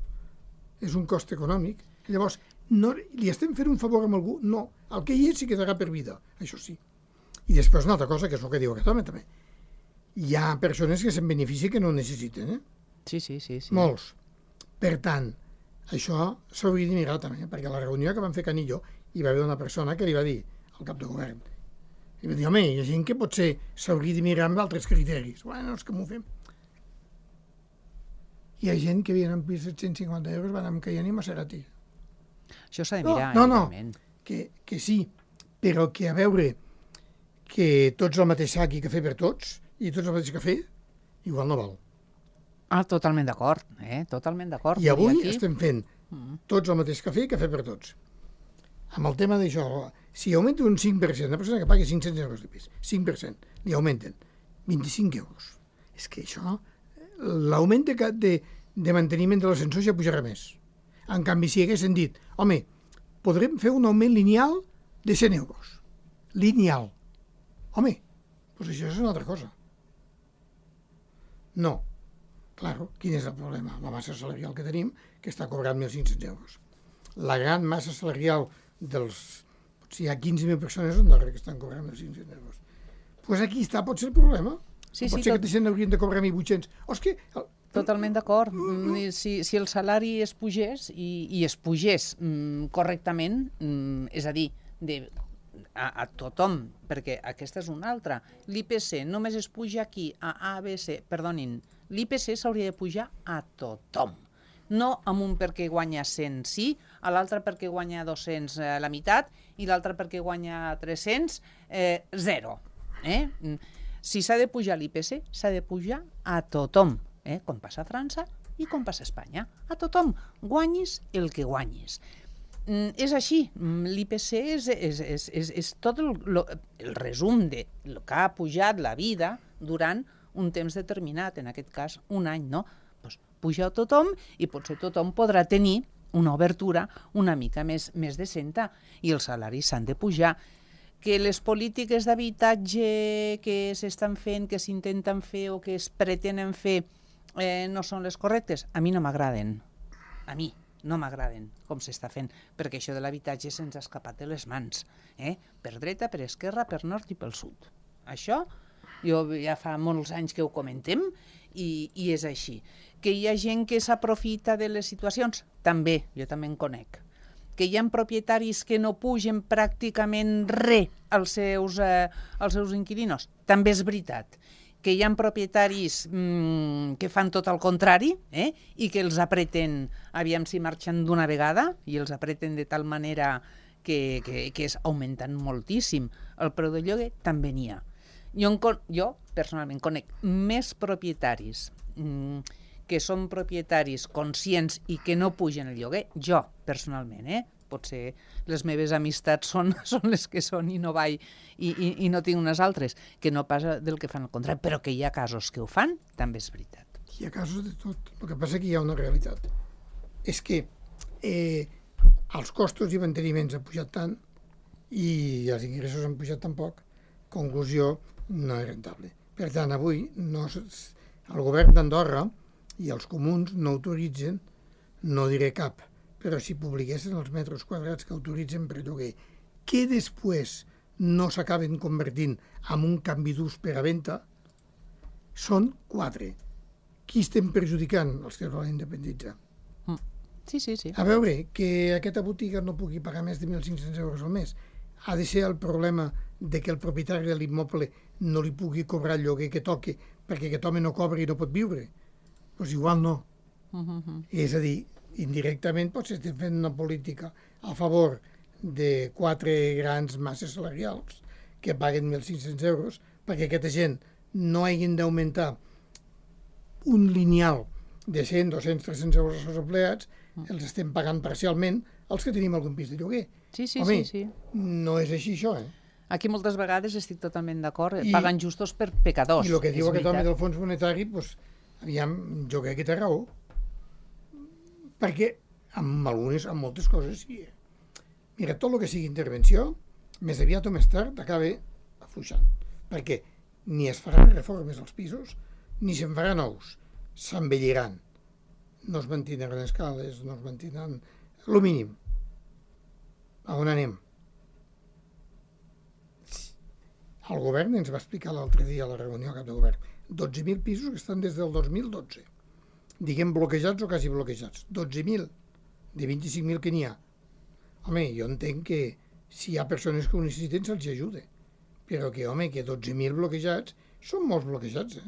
Speaker 4: És un cost econòmic. Llavors, li estem fent un favor amb algú? No. El que hi és s'hi quedarà per vida, això sí. I després una altra cosa, que és el que diu aquest home també. Hi ha persones que se'n beneficien que no ho necessiten,
Speaker 3: Sí.
Speaker 4: Molts. Per tant, això s'hauria de mirar també, perquè a la reunió que vam fer Canillo hi va haver una persona que li va dir al cap de govern, i va dir, home, hi ha gent que potser s'hauria de mirar amb altres criteris. Bueno, és que m'ho fem. Hi ha gent que havien en pis 750 euros, van amb Cayenne i Maserati.
Speaker 3: Això s'ha de mirar,
Speaker 4: evidentment. Que sí, però que a veure que tots el mateix sac i cafè per tots, i tots el mateix cafè, igual no val.
Speaker 3: Totalment d'acord, totalment d'acord.
Speaker 4: I avui estem fent tots el mateix cafè i cafè per tots. Amb el tema d'això, si augmenta un 5%, una persona que pagui 500 euros de pis, 5%, li augmenten 25 euros. És que això, l'augment de manteniment de l'ascensor ja pujarà més. En canvi, si haguessin dit, home, podrem fer un augment lineal de 100 euros. Lineal. Home, doncs això és una altra cosa. No. Claro, quin és el problema? La massa salarial que tenim, que està cobrant 1.500 euros. La gran massa salarial potser hi ha 15.000 persones en Andorra que estan cobrant 1.500 euros. Doncs aquí està, pot ser el problema. Pot ser que aquesta gent haurien de cobrar 1.800.
Speaker 3: Totalment d'acord. Si el salari es pugés i es pugés correctament, és a dir, a tothom, perquè aquesta és una altra. L'IPC només es puja aquí a ABC, perdonin, l'IPC s'hauria de pujar a tothom. No amb un perquè guanya 100 sí, a l'altre perquè guanya 200 la meitat i l'altre perquè guanya 300 zero. Si s'ha de pujar l'IPC, s'ha de pujar a tothom, com passa a França i com passa a Espanya. A tothom, guanyis el que guanyis. És així, l'IPC és tot el resum del que ha pujat la vida durant un temps determinat, en aquest cas un any, no? Doncs puja a tothom i potser tothom podrà tenir una obertura una mica més decenta i els salaris s'han de pujar. Que les polítiques d'habitatge que s'estan fent, que s'intenten fer o que es pretenen fer no són les correctes, a mi no m'agraden. A mi no m'agraden com s'està fent, perquè això de l'habitatge se'ns ha escapat de les mans. Per dreta, per esquerra, per nord i pel sud. Això jo ja fa molts anys que ho comentem i és així. Que hi ha gent que s'aprofita de les situacions? També, jo també en conec. Que hi ha propietaris que no pugen pràcticament res als seus inquilinos? També és veritat. que hi ha propietaris que fan tot el contrari i que els apreten, aviam si marxen d'una vegada, i els apreten de tal manera que és augmentant moltíssim el preu del lloguer, també n'hi ha. Jo personalment conec més propietaris que són propietaris conscients i que no pugen el lloguer, jo personalment, potser les meves amistats són les que són i no vaig i no tinc unes altres, que no passa del que fan al contrari, però que hi ha casos que ho fan, també és veritat.
Speaker 4: Hi ha casos de tot. El que passa que hi ha una realitat. És que els costos i manteniments han pujat tant i els ingressos han pujat tan poc, conclusió, no és rentable. Per tant, avui el govern d'Andorra i els comuns no autoritzen, no diré cap, però si publiquessin els metres quadrats que autoritzen per lloguer, que després no s'acaben convertint en un canvi d'ús per a venda, són 4. Qui estem perjudicant? Els que es volen independitzar.
Speaker 3: Sí.
Speaker 4: A veure, que aquesta botiga no pugui pagar més de 1.500 euros al mes, ha de ser el problema de que el propietari de l'immoble no li pugui cobrar el lloguer que toqui perquè aquest home no cobra i no pot viure? Doncs igual no. És a dir, indirectament potser estem fent una política a favor de 4 grans masses salarials que paguen 1.500 euros perquè aquesta gent no hagin d'augmentar un lineal de 100, 200, 300 euros als seus empleats, els estem pagant parcialment els que tenim algun pis de lloguer.
Speaker 3: Sí.
Speaker 4: No és així això,
Speaker 3: Aquí moltes vegades estic totalment d'acord, paguen justos per pecadors.
Speaker 4: I el que diu aquest home del fons monetari, doncs, aviam, jo crec que té raó. Perquè amb moltes coses sí. Mira, tot el que sigui intervenció, més aviat o més tard, acaba afluixant. Perquè ni es faran reformes als pisos, ni se'n faran nous. S'envelliran. No es mantindran escales, no es mantindran... Lo mínim. A on anem? El govern ens va explicar l'altre dia a la reunió cap de govern 12.000 pisos que estan des del 2012. Diguem bloquejats o quasi bloquejats. 12.000 de 25.000 que n'hi ha. Home, jo entenc que si hi ha persones que ho necessiten se'ls ajuda. Però que, home, que 12.000 bloquejats són molts bloquejats,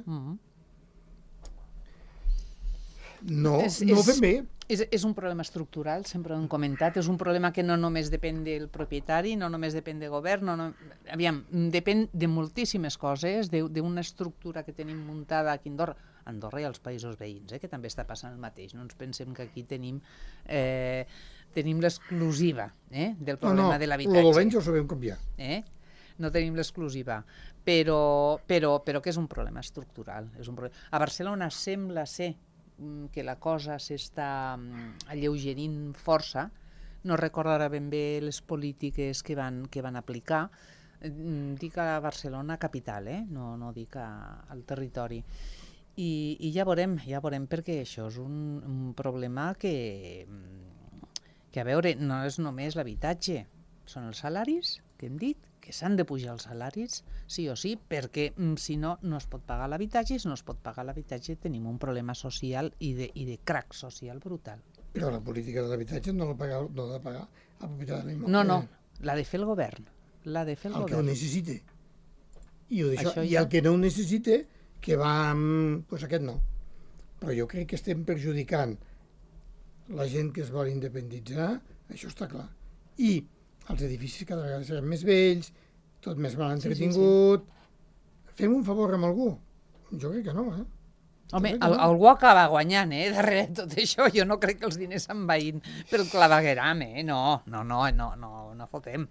Speaker 4: No ho fem bé.
Speaker 3: És un problema estructural, sempre ho hem comentat, és un problema que no només depèn del propietari, no només depèn del govern, aviam, depèn de moltíssimes coses, d'una estructura que tenim muntada aquí a Andorra i als països veïns, que també està passant el mateix. No ens pensem que aquí tenim l'exclusiva del problema de l'habitatge.
Speaker 4: No, el dolent ja ho sabem canviar.
Speaker 3: No tenim l'exclusiva, però que és un problema estructural. A Barcelona sembla ser que la cosa s'està alleugerint força, no recordo ara ben bé les polítiques que van aplicar, dic a Barcelona capital, no dic al territori, i ja veurem, perquè això és un problema que a veure, no és només l'habitatge, són els salaris, que hem dit, que s'han de pujar els salaris, sí o sí, perquè si no, no es pot pagar l'habitatge, i si no es pot pagar l'habitatge tenim un problema social i de crac social brutal.
Speaker 4: Però la política de l'habitatge no l'ha de pagar el propietari de l'immoble.
Speaker 3: No, l'ha de fer el govern. El
Speaker 4: que ho necessite. I el que no ho necessite, que va amb... Doncs aquest no. Però jo crec que estem perjudicant la gent que es vol independitzar, això està clar. I els edificis cada vegada seran més vells, tot més mal entretingut... Sí. Fem un favor amb algú? Jo crec que no,
Speaker 3: Home, algú acaba guanyant, darrere de tot això. Jo no crec que els diners se'n vagin pel clavegueram, no fotem.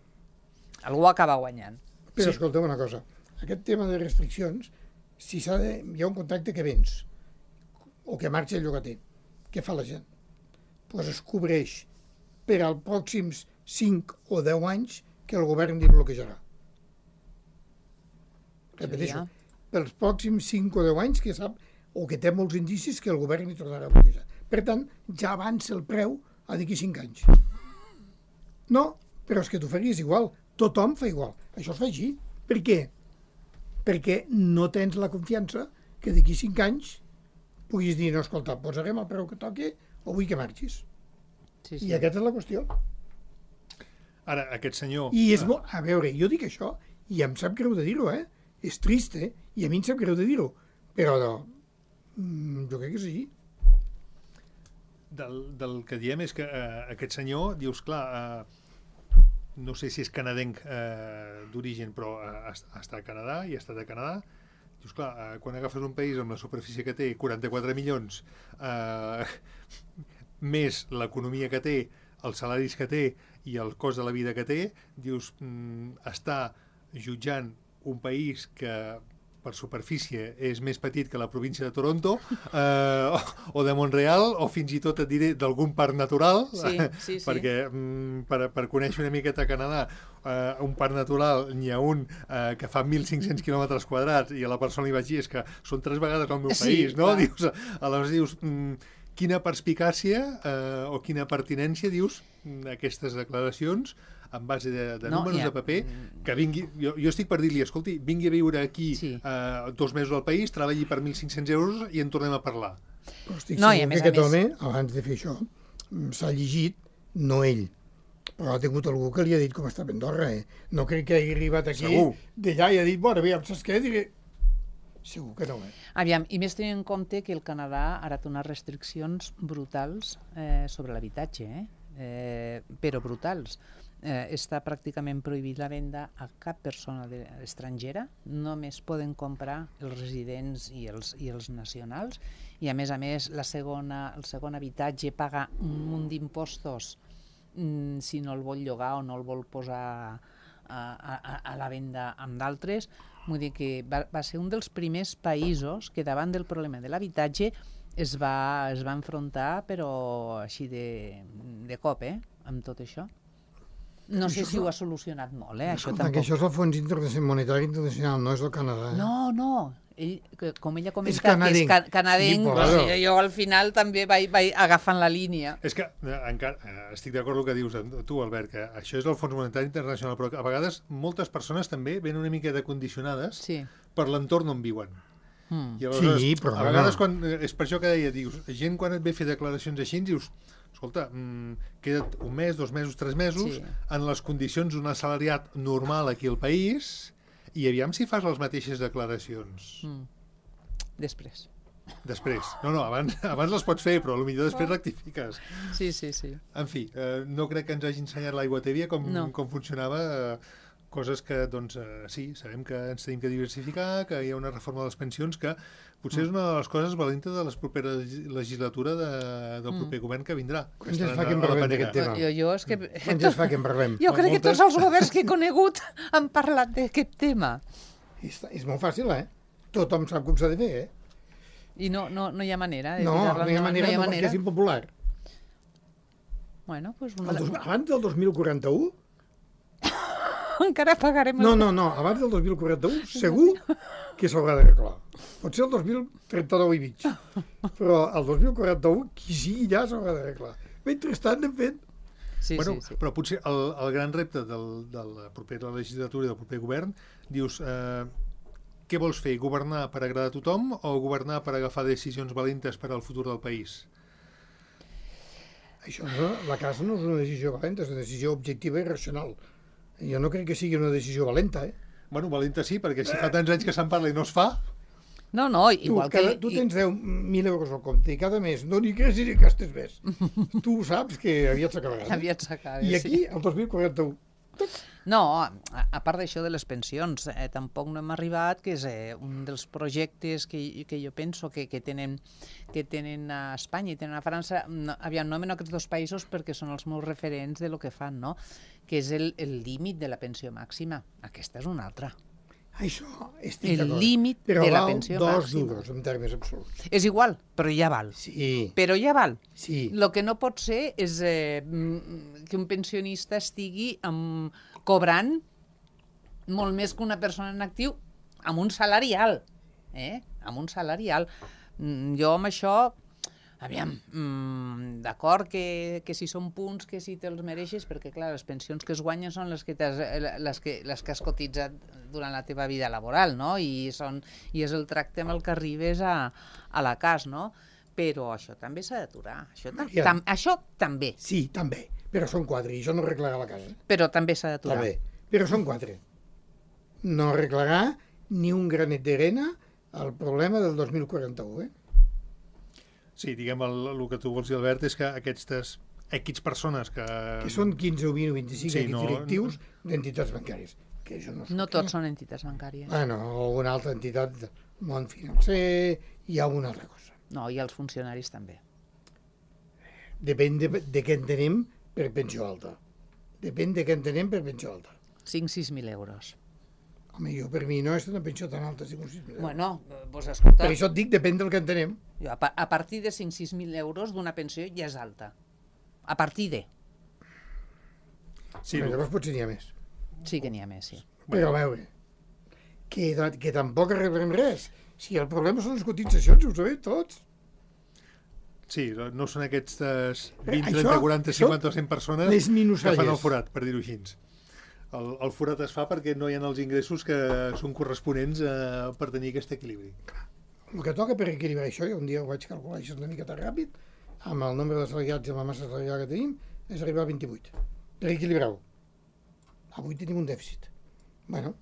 Speaker 3: Algú acaba guanyant.
Speaker 4: Però escolta'm una cosa, aquest tema de restriccions, si hi ha un contracte que vens, o que marxa el llogater, què fa la gent? Doncs es cobreix per als pròxims 5 o 10 anys que el govern li bloquejarà. Repeteixo, pels pròxims 5 o 10 anys que sap o que té molts indicis que el govern li tornarà a bloquejar. Per tant, ja avança el preu a d'aquí 5 anys. No, però és que tu faries igual. Tothom fa igual. Això es fa així. Per què? Perquè no tens la confiança que d'aquí 5 anys puguis dir, no, escolta, posarem el preu que toqui o vull que marxis. Sí. I aquesta és la qüestió.
Speaker 2: Ara, aquest senyor...
Speaker 4: A veure, jo dic això, i em sap greu de dir-ho, És trist, i a mi em sap greu de dir-ho, però jo crec que és així.
Speaker 2: Del que diem és que aquest senyor, dius, clar, no sé si és canadenc d'origen, però està a Canadà i ha estat a Canadà. Dius, clar, quan agafes un país amb la superfície que té, 44 milions, més l'economia que té, els salaris que té i el cost de la vida que té, dius, està jutjant un país que per superfície és més petit que la província de Toronto o de Montreal, o fins i tot et diré d'algun parc natural,
Speaker 3: sí.
Speaker 2: perquè per conèixer una miqueta Canadà, un parc natural n'hi ha un que fa 1.500 quilòmetres quadrats i a la persona li vaig dir és que són 3 vegades el meu país, no? Dius, aleshores dius, quina perspicàcia o quina pertinència, dius, aquestes declaracions en base de números de paper, que vingui, jo estic per dir-li, escolti, vingui a viure aquí 2 mesos al país, treballi per 1.500 euros i en tornem a parlar.
Speaker 4: Però estic segur que aquest home, abans de fer això, s'ha llegit, no ell, però ha tingut algú que li ha dit com està Andorra, No crec que hagi arribat aquí d'allà i ha dit, bueno, aviam, saps què? Diré... Segur que no,
Speaker 3: Aviam, i més tenint en compte que el Canadà ha fet unes restriccions brutals sobre l'habitatge, però brutals. Està pràcticament prohibit la venda a cap persona estrangera, només poden comprar els residents i els nacionals, i a més, el segon habitatge paga un munt d'impostos si no el vol llogar o no el vol posar a la venda amb d'altres. Vull dir que va ser un dels primers països que davant del problema de l'habitatge es va enfrontar, però així de cop, amb tot això. No sé si ho ha solucionat molt, això tampoc.
Speaker 4: Que això és el Fons Monetari Internacional, no és el Canadà.
Speaker 3: No. Com ella comenta que és canadenc, jo al final també vaig agafant la línia.
Speaker 2: És que encara estic d'acord amb el que dius tu, Albert, que això és el Fons Monetari Internacional, però a vegades moltes persones també venen una miqueta condicionades per l'entorn on viuen. I aleshores,
Speaker 4: però
Speaker 2: a vegades, és per això que deia, dius, gent quan et ve a fer declaracions així, dius, escolta, queda't un mes, 2 mesos, 3 mesos, en les condicions d'un assalariat normal aquí al país, i aviam si fas les mateixes declaracions.
Speaker 3: Després.
Speaker 2: No, abans les pots fer, però potser després rectifiques.
Speaker 3: Sí.
Speaker 2: En fi, no crec que ens hagi ensenyat l'aigua tèbia com funcionava, coses que, doncs, sí, sabem que ens tenim que diversificar, que hi ha una reforma de les pensions que potser és una de les coses valentes de la propera legislatura del proper govern que vindrà.
Speaker 4: Quan ja es fa que en parlem d'aquest tema? Quan ja es fa que en parlem?
Speaker 3: Jo crec que tots els governs que he conegut han parlat d'aquest tema.
Speaker 4: És molt fàcil, Tothom sap com s'ha de fer,
Speaker 3: I no hi ha manera de
Speaker 4: tirar-la. No hi ha manera perquè és impopular.
Speaker 3: Bueno, pues
Speaker 4: abans del 2041...
Speaker 3: Encara pagarem...
Speaker 4: No, abans del 2041 segur que s'haurà d'arreglar. Pot ser el 2039 i mig. Però el 2041, qui sigui ja s'haurà d'arreglar. Mentrestant anem fent...
Speaker 3: Sí.
Speaker 2: Però potser el gran repte de la propera legislatura i del proper govern, dius, què vols fer? Governar per agradar a tothom o governar per agafar decisions valentes per al futur del país?
Speaker 4: Això, la casa no és una decisió valenta, és una decisió objectiva i racional. Jo no crec que sigui una decisió valenta,
Speaker 2: Bueno, valenta sí, perquè si fa tants anys que se'n parla i no es fa...
Speaker 3: No, igual que...
Speaker 4: Tu tens 10.000 euros al compte i cada mes no n'hi creus ni gastes més. Tu saps que aviat s'acabarà.
Speaker 3: Aviat s'acaba,
Speaker 4: I aquí, el 2041...
Speaker 3: No, a part d'això de les pensions, tampoc no hem arribat, que és un dels projectes que jo penso que tenen a Espanya i tenen a França. Aviam, no aquests 2 països perquè són els meus referents de lo que fan, no? Que és el límit de la pensió màxima. Aquesta és una altra.
Speaker 4: Això estic d'acord.
Speaker 3: El límit de la pensió màxima.
Speaker 4: Però val 2 duros en termes absoluts.
Speaker 3: És igual, però ja val.
Speaker 4: Sí.
Speaker 3: Però ja val.
Speaker 4: Sí.
Speaker 3: El que no pot ser és que un pensionista estigui cobrant molt més que una persona en actiu amb un salari alt. Amb un salari alt. Jo amb això... Aviam, d'acord que si són punts que si te'ls mereixes, perquè clar, les pensions que es guanyen són les que has cotitzat durant la teva vida laboral, no? I és el tracte amb el que arribes a la casa, no? Però això també s'ha d'aturar. Això també.
Speaker 4: Sí, també. Però són 4 i això no arreglarà la casa.
Speaker 3: Però també s'ha d'aturar.
Speaker 4: També. Però són 4. No arreglarà ni un granet d'arena al problema del 2041,
Speaker 2: Sí, diguem, el que tu vols dir, Albert, és que aquestes X persones que...
Speaker 4: que són 15 o 20 o 25
Speaker 2: Sí,
Speaker 4: equips directius d'entitats bancàries. Que això no,
Speaker 3: No tots són entitats bancàries.
Speaker 4: Bueno, alguna altra entitat del món financer, hi ha alguna altra cosa.
Speaker 3: No, i els funcionaris també.
Speaker 4: Depèn de què entenem per pensió alta. Depèn de què entenem per pensió alta.
Speaker 3: 5.000-6.000 euros.
Speaker 4: Home, jo per mi no és una pensió tan alta, 5.000 euros.
Speaker 3: Bueno, doncs escolta,
Speaker 4: Per això et dic, depèn del que entenem.
Speaker 3: jo, a partir de 5.000-6.000 euros d'una pensió ja és alta. A partir de...
Speaker 2: Sí,
Speaker 4: Però llavors potser n'hi ha més.
Speaker 3: Sí que n'hi ha més, sí.
Speaker 4: Però a veure, que tampoc arreglarem res. Si el problema són les cotitzacions, ho sabem tots.
Speaker 2: sí, no són aquestes 20,
Speaker 4: Això-
Speaker 2: 30, 40,
Speaker 4: això,
Speaker 2: 50 o 100 persones
Speaker 4: les
Speaker 2: que
Speaker 4: minusalles.
Speaker 2: fan el forat, per dir-ho així. El forat es fa perquè no hi ha els ingressos que són corresponents per tenir aquest equilibri.
Speaker 4: El que toca per equilibrar això, jo un dia ho vaig calcular, això és una miqueta ràpid, amb el nombre d'assalariats i amb la massa salarial que tenim, és arribar a 28. Per equilibrar-ho. Avui tenim un dèficit. Bueno,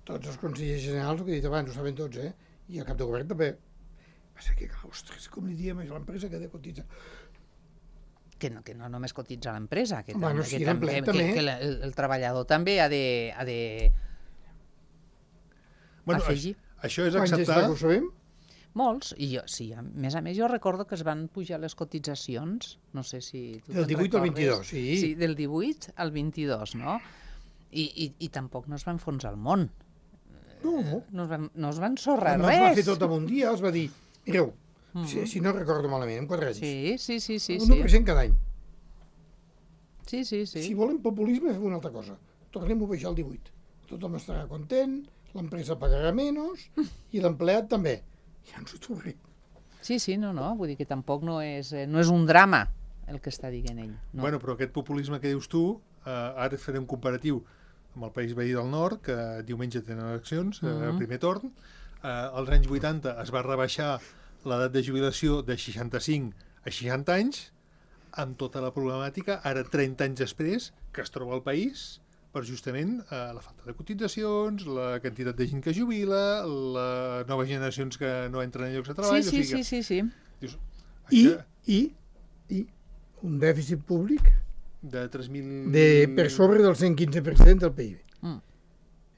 Speaker 4: tots els consellers generals, el que he dit abans, ho saben tots, i el cap de govern també. Passa que, ostres, com li diem a l'empresa que ha de cotitzar?
Speaker 3: Que no només cotitza l'empresa, que,
Speaker 4: Bueno,
Speaker 3: també,
Speaker 4: sí,
Speaker 3: que,
Speaker 4: l'empleat
Speaker 3: que,
Speaker 4: també.
Speaker 3: que el treballador també ha de
Speaker 2: Bueno,
Speaker 3: afegir.
Speaker 2: això és
Speaker 4: Quants
Speaker 2: acceptar...
Speaker 4: que ho sabem?
Speaker 3: Molts, i jo, sí, a més jo recordo que es van pujar les cotitzacions, no sé si... tu
Speaker 4: Del
Speaker 3: te'n
Speaker 4: 18 al
Speaker 3: recordes.
Speaker 4: 22, sí.
Speaker 3: Sí, del 18 al 22, no? I tampoc no es va enfonsar el món.
Speaker 4: No,
Speaker 3: No es va ensorrar
Speaker 4: no es va fer
Speaker 3: res.
Speaker 4: tot en un dia, els va dir, mireu, si no recordo malament, en 4 anys,
Speaker 3: Sí.
Speaker 4: un 1% cada any.
Speaker 3: Sí.
Speaker 4: Si volem populisme, fem una altra cosa. Tornem-ho a baixar al 18. Tothom estarà content, l'empresa pagarà menys i l'empleat també. Ja ens ho trobarem.
Speaker 3: Sí, no, vull dir que tampoc no és un drama el que està dient ell. No.
Speaker 2: Bueno, però aquest populisme que dius tu, ara farem un comparatiu amb el país veí del nord, que diumenge tenen eleccions, primer torn. Als anys 80 es va rebaixar l'edat de jubilació de 65 a 60 anys, amb tota la problemàtica, ara 30 anys després, que es troba al país per justament la falta de cotitzacions, la quantitat de gent que jubila, les noves generacions que no entren en llocs de treball...
Speaker 3: Sí.
Speaker 2: Dius,
Speaker 4: I un dèficit públic
Speaker 2: de 3.000...
Speaker 4: per sobre del 115% del PIB.
Speaker 3: Mm.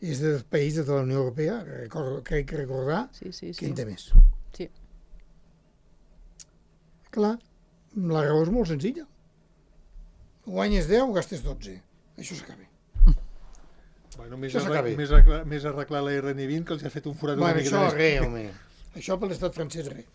Speaker 4: És dels països de la Unió Europea, crec recordar,
Speaker 3: Sí.
Speaker 4: que en té més.
Speaker 3: Sí.
Speaker 4: Clar, la raó és molt senzilla. Guanyes 10, gastes 12. Això s'acaba.
Speaker 2: Bueno, més,
Speaker 4: Això s'acaba.
Speaker 2: més arreglar la RN20 que els ha fet un forat
Speaker 4: Bueno,
Speaker 2: una miqueta
Speaker 4: això
Speaker 2: més.
Speaker 4: res, home. Això per l'estat francès res.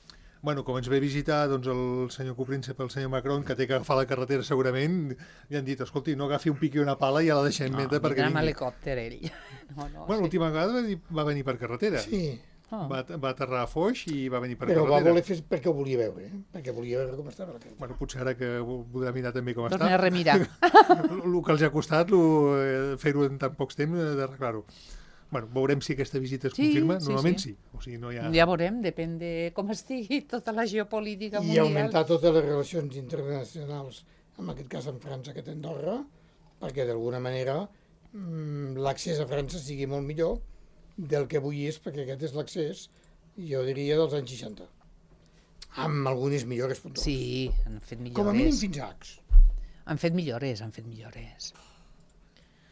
Speaker 2: Bueno, com ens ve a visitar doncs, el senyor copríncep, el senyor Macron, que té que agafar la carretera segurament, li han dit, escolti, no agafi un pic i una pala i ja la deixem meta perquè
Speaker 3: vindrà amb
Speaker 2: vingui.
Speaker 3: helicòpter ell.
Speaker 2: Bueno, l'última vegada va venir per carretera.
Speaker 4: Sí,
Speaker 2: Va aterrar a Foix i va venir per
Speaker 4: però ho va
Speaker 2: carretera.
Speaker 4: voler fer perquè ho volia veure, perquè volia veure com estava la carretera.
Speaker 2: Bueno, potser ara que voldrà mirar també com
Speaker 3: Torna a
Speaker 2: està.
Speaker 3: remirar.
Speaker 2: El que els ha costat fer-ho en tan pocs temps d'arreglar-ho. Bueno, veurem si aquesta visita es
Speaker 3: Sí,
Speaker 2: confirma.
Speaker 3: sí,
Speaker 2: Normalment
Speaker 3: sí.
Speaker 2: sí. O sigui, no hi ha...
Speaker 3: Ja veurem, depèn de com estigui tota la geopolítica
Speaker 4: I
Speaker 3: mundial.
Speaker 4: augmentar totes les relacions internacionals, en aquest cas amb França que té Andorra, perquè d'alguna manera l'accés a França sigui molt millor del que avui és, perquè aquest és l'accés, jo diria, dels anys 60. Amb algunes millores puntuals.
Speaker 3: Sí, han fet millores.
Speaker 4: Com a mínim fins a Ax,
Speaker 3: Han fet millores.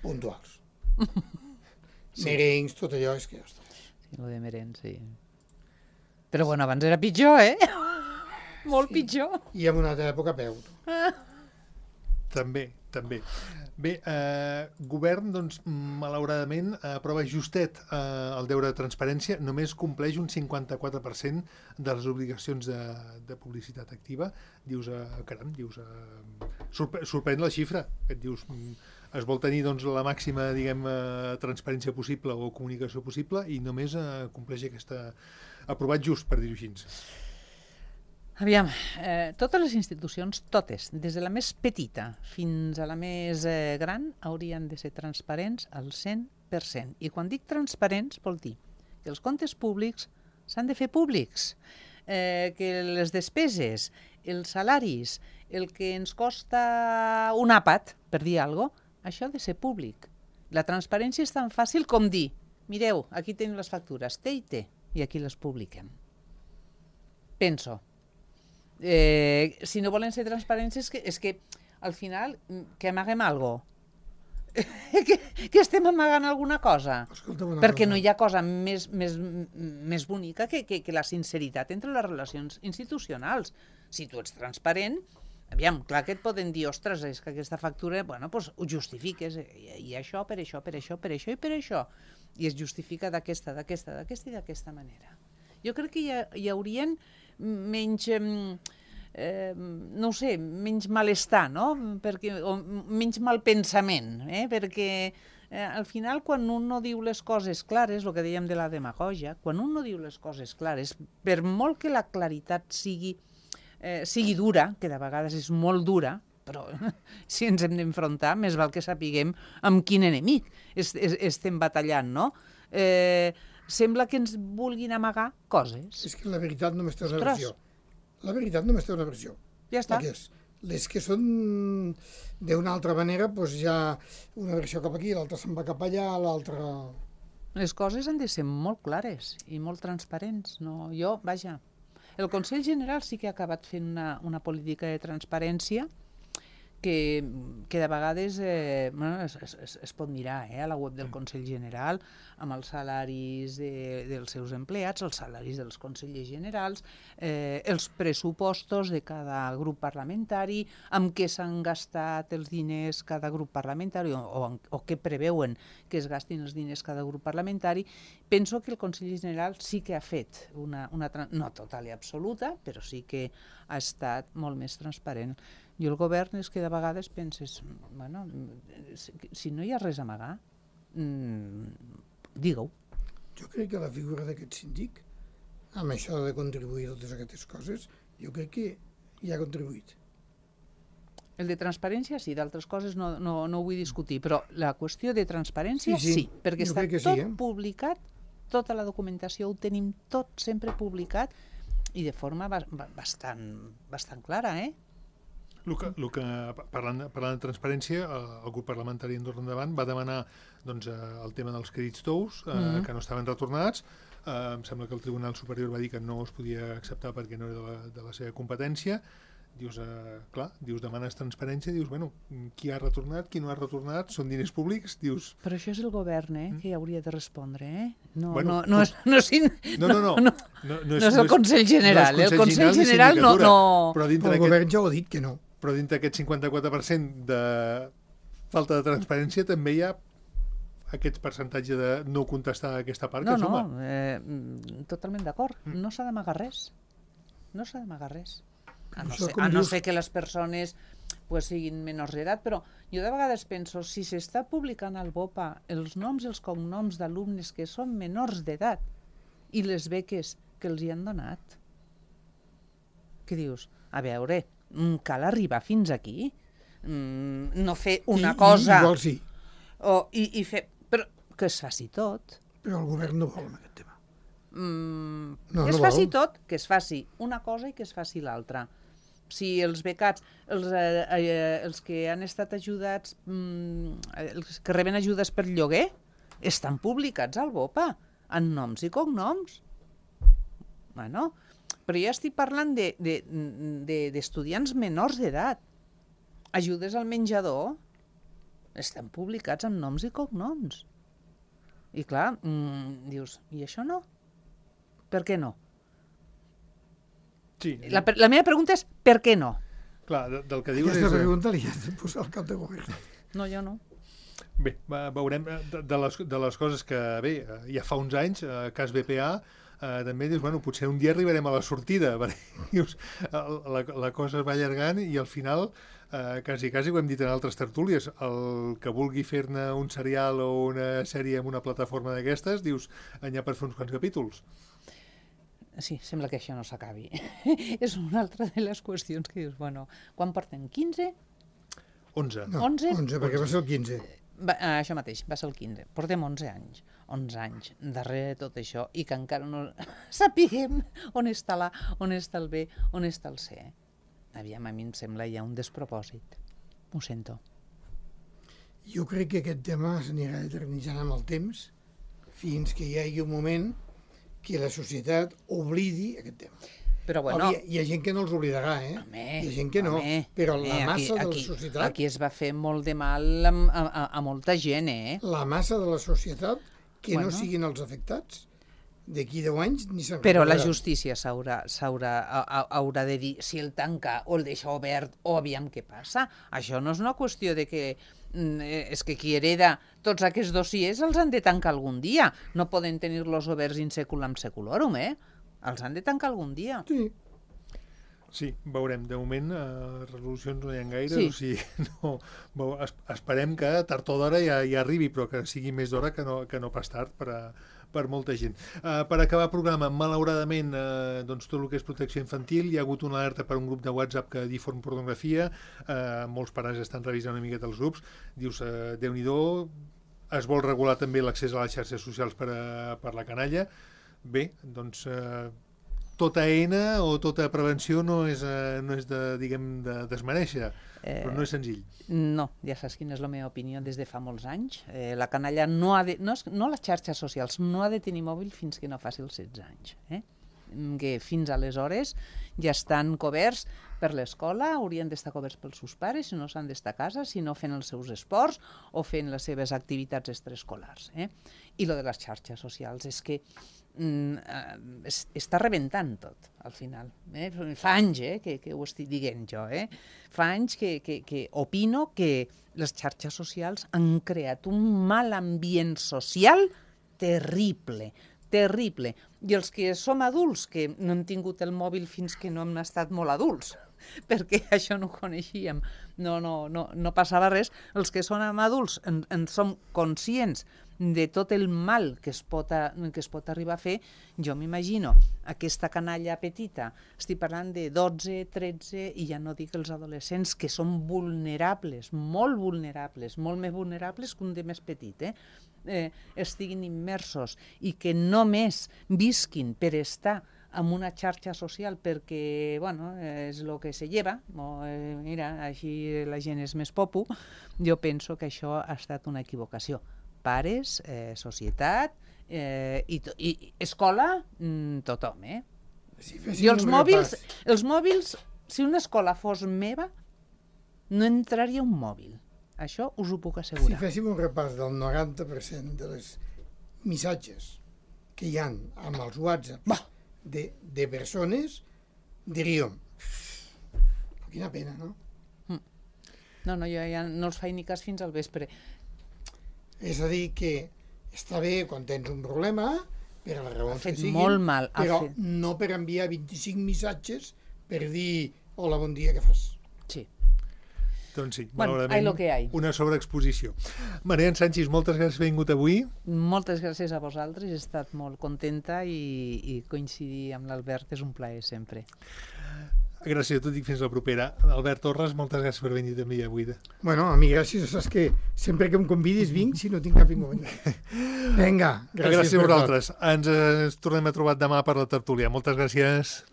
Speaker 4: puntuals. Merencs, tot allò, és que... Ostres.
Speaker 3: Sí, lo de Meren, sí. Però bueno, abans era pitjor, Molt pitjor.
Speaker 4: I en una altra època a peu.
Speaker 2: També. Bé, govern, doncs, malauradament, aprova justet el deure de transparència, només compleix un 54% de les obligacions de publicitat activa. Dius, caram, sorprèn la xifra. Et dius, es vol tenir doncs, la màxima, diguem, transparència possible o comunicació possible i només compleix aquesta... aprovat just, per dir-ho així.
Speaker 3: Aviam, totes les institucions, totes, des de la més petita fins a la més gran, haurien de ser transparents al 100%. I quan dic transparents, vol dir que els comptes públics s'han de fer públics, que les despeses, els salaris, el que ens costa un àpat, per dir alguna cosa, això ha de ser públic. La transparència és tan fàcil com dir, mireu, aquí tenim les factures, té i té, i aquí les publiquem. Penso. Si no volen ser transparents és que al final que amaguem algo. que estem amagant alguna cosa. Perquè no hi ha cosa més bonica que la sinceritat entre les relacions institucionals. Si tu ets transparent, aviam, clar que et poden dir, ostres, és que aquesta factura, bueno, doncs ho justifiques, i això, per això, per això, per això i per això. I es justifica d'aquesta i d'aquesta manera. Jo crec que hi haurien menys... no ho sé, menys malestar, no? O menys malpensament, perquè al final quan un no diu les coses clares, el que dèiem de la demagògia, quan un no diu les coses clares, per molt que la claritat sigui dura, que de vegades és molt dura, però si ens hem d'enfrontar, més val que sapiguem amb quin enemic estem batallant, no? Sembla que ens vulguin amagar coses.
Speaker 4: És que la veritat només té una versió. La veritat només té una versió.
Speaker 3: Ja està.
Speaker 4: Les que són d'una altra manera, doncs hi ha una versió cap aquí, l'altra se'n va cap allà, l'altra...
Speaker 3: Les coses han de ser molt clares i molt transparents. No? Vaja, el Consell General sí que ha acabat fent una política de transparència que de vegades es pot mirar a la web del Consell General amb els salaris dels seus empleats, els salaris dels consellers generals, els pressupostos de cada grup parlamentari, amb què s'han gastat els diners cada grup parlamentari o què preveuen que es gastin els diners cada grup parlamentari. Penso que el Consell General sí que ha fet no total i absoluta, però sí que ha estat molt més transparent. I el govern és que de vegades penses, bueno, si no hi ha res a amagar, digue-ho.
Speaker 4: Jo crec que la figura d'aquest síndic, amb això de contribuir a totes aquestes coses, jo crec que hi ha contribuït.
Speaker 3: El de transparència sí, d'altres coses no ho vull discutir, però la qüestió de transparència sí, perquè està tot publicat, tota la documentació ho tenim tot sempre publicat i de forma bastant clara,
Speaker 2: Parlant de transparència, el grup parlamentari Andorra Endavant va demanar el tema dels crèdits tous, que no estaven retornats. Em sembla que el Tribunal Superior va dir que no es podia acceptar perquè no era de la seva competència. Dius, demanes transparència, dius, bueno, qui ha retornat, qui no ha retornat, són diners públics, dius...
Speaker 3: Però això és el govern, que hi hauria de respondre, No és el Consell General, el Consell General no...
Speaker 4: El govern ja ho ha dit que no.
Speaker 2: Però dintre d'aquest 54% de falta de transparència també hi ha aquest percentatge de no contestar a aquesta part que suma.
Speaker 3: Totalment d'acord. No s'ha d'amagar res. No s'ha d'amagar res. A no ser que les persones siguin menors d'edat, però jo de vegades penso, si s'està publicant al BOPA els noms i els cognoms d'alumnes que són menors d'edat i les beques que els hi han donat, què dius? A veure, cal arribar fins aquí? No fer una cosa...
Speaker 4: Igual sí.
Speaker 3: I fer... Però que es faci tot.
Speaker 4: Però el govern no vol en aquest tema.
Speaker 3: Que es faci tot, que es faci una cosa i que es faci l'altra. Si els becats, els que han estat ajudats, els que reben ajudes per lloguer, estan publicats al BOPA, en noms i cognoms. Bueno, però ja estic parlant d'estudiants menors d'edat. Ajudes al menjador estan publicats amb noms i cognoms. I clar, dius, i això no? Per què no?
Speaker 2: Sí.
Speaker 3: La meva pregunta és per què no?
Speaker 2: Clar, del que dius
Speaker 4: Aquesta pregunta li has de posar al cap de govern.
Speaker 3: No, jo no.
Speaker 2: Bé, veurem de les coses que, bé, ja fa uns anys, cas BPA, també dius, bueno, potser un dia arribarem a la sortida, perquè dius, la cosa es va allargant i al final, quasi ho hem dit en altres tertúlies, el que vulgui fer-ne un serial o una sèrie en una plataforma d'aquestes, dius, n'hi ha per fer uns quants capítols.
Speaker 3: Sí, sembla que això no s'acabi. És una altra de les qüestions que dius, bueno, quan porten 15?
Speaker 2: 11.
Speaker 4: No, 11, perquè va ser el 15.
Speaker 3: Això mateix, va ser el 15. Portem 11 anys. 11 anys darrere de tot això i que encara no sapiguem on està el B, on està el C. Aviam, a mi em sembla ja un despropòsit. Ho sento.
Speaker 4: Jo crec que aquest tema s'anirà eternitzant amb el temps fins que hi hagi un moment que la societat oblidi aquest tema.
Speaker 3: Però bueno...
Speaker 4: Hi ha gent que no els oblidarà, hi ha gent que no, però la massa de la societat...
Speaker 3: Aquí es va fer molt de mal a molta gent,
Speaker 4: La massa de la societat, que no siguin els afectats, d'aquí 10 anys ni se'n
Speaker 3: Però la justícia haurà de dir si el tanca o el deixa obert o aviam què passa. Això no és una qüestió de que és que qui hereda tots aquests dossiers els han de tancar algun dia. No poden tenir-los oberts in seculum seculorum, Els han de tancar algun dia.
Speaker 2: Sí, veurem. De moment, resolucions no hi ha gaire, o sigui, esperem que tard o d'hora ja arribi, però que sigui més d'hora que no pas tard per molta gent. Per acabar el programa, malauradament, tot el que és protecció infantil, hi ha hagut una alerta per un grup de WhatsApp que difon pornografia, molts pares estan revisant una miqueta els grups, dius, Déu-n'hi-do, es vol regular també l'accés a les xarxes socials per la canalla. Bé, doncs... tota eina o tota prevenció no és de desmereixer, però no és senzill.
Speaker 3: No, ja saps quina és la meva opinió des de fa molts anys. La canalla no les xarxes socials, no ha de tenir mòbil fins que no faci els 16 anys. Que fins aleshores ja estan coberts per l'escola, haurien d'estar coberts pels seus pares, si no s'han d'estar a casa, si no fent els seus esports o fent les seves activitats extraescolars. I lo de les xarxes socials és que està rebentant tot, al final. Fa anys que ho estic dient jo. Fa anys que opino que les xarxes socials han creat un mal ambient social terrible. I els que som adults, que no hem tingut el mòbil fins que no hem estat molt adults, perquè això no ho coneixíem, no passava res, els que som adults en som conscients de tot el mal que es pot arribar a fer. Jo m'imagino aquesta canalla petita, estic parlant de 12, 13, i ja no dic els adolescents, que són vulnerables, molt més vulnerables que un de més petit, estiguin immersos i que només visquin per estar en una xarxa social perquè, és el que se lleva, mira, així la gent és més popu. Jo penso que això ha estat una equivocació. Pares, societat i escola, tothom, I els mòbils, si una escola fos meva, no entraria un mòbil. Això us ho puc assegurar.
Speaker 4: Si féssim un repàs del 90% de les missatges que hi ha amb els WhatsApp de persones, diríem, quina pena, no?
Speaker 3: No, jo ja no els faig ni cas fins al vespre.
Speaker 4: És a dir, que està bé quan tens un problema, per a les raons que siguin,
Speaker 3: molt mal,
Speaker 4: però no per enviar 25 missatges per dir hola, bon dia, què fas?
Speaker 3: Sí.
Speaker 2: Doncs sí, malauradament, una sobreexposició. Marian Sanchis, moltes gràcies per haver vingut avui.
Speaker 3: Moltes gràcies a vosaltres, he estat molt contenta i coincidir amb l'Albert és un plaer sempre.
Speaker 2: Gràcies a tu, dic fins la propera. Albert Torres, moltes gràcies per venir també avui.
Speaker 4: Bueno, a mi gràcies, saps que sempre que em convidis vinc si no tinc cap inconvenient. Vinga,
Speaker 2: gràcies a vosaltres. Ens tornem a trobar demà per la tertúlia. Moltes gràcies.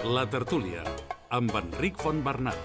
Speaker 1: La tertúlia, amb Enric Fontbernat.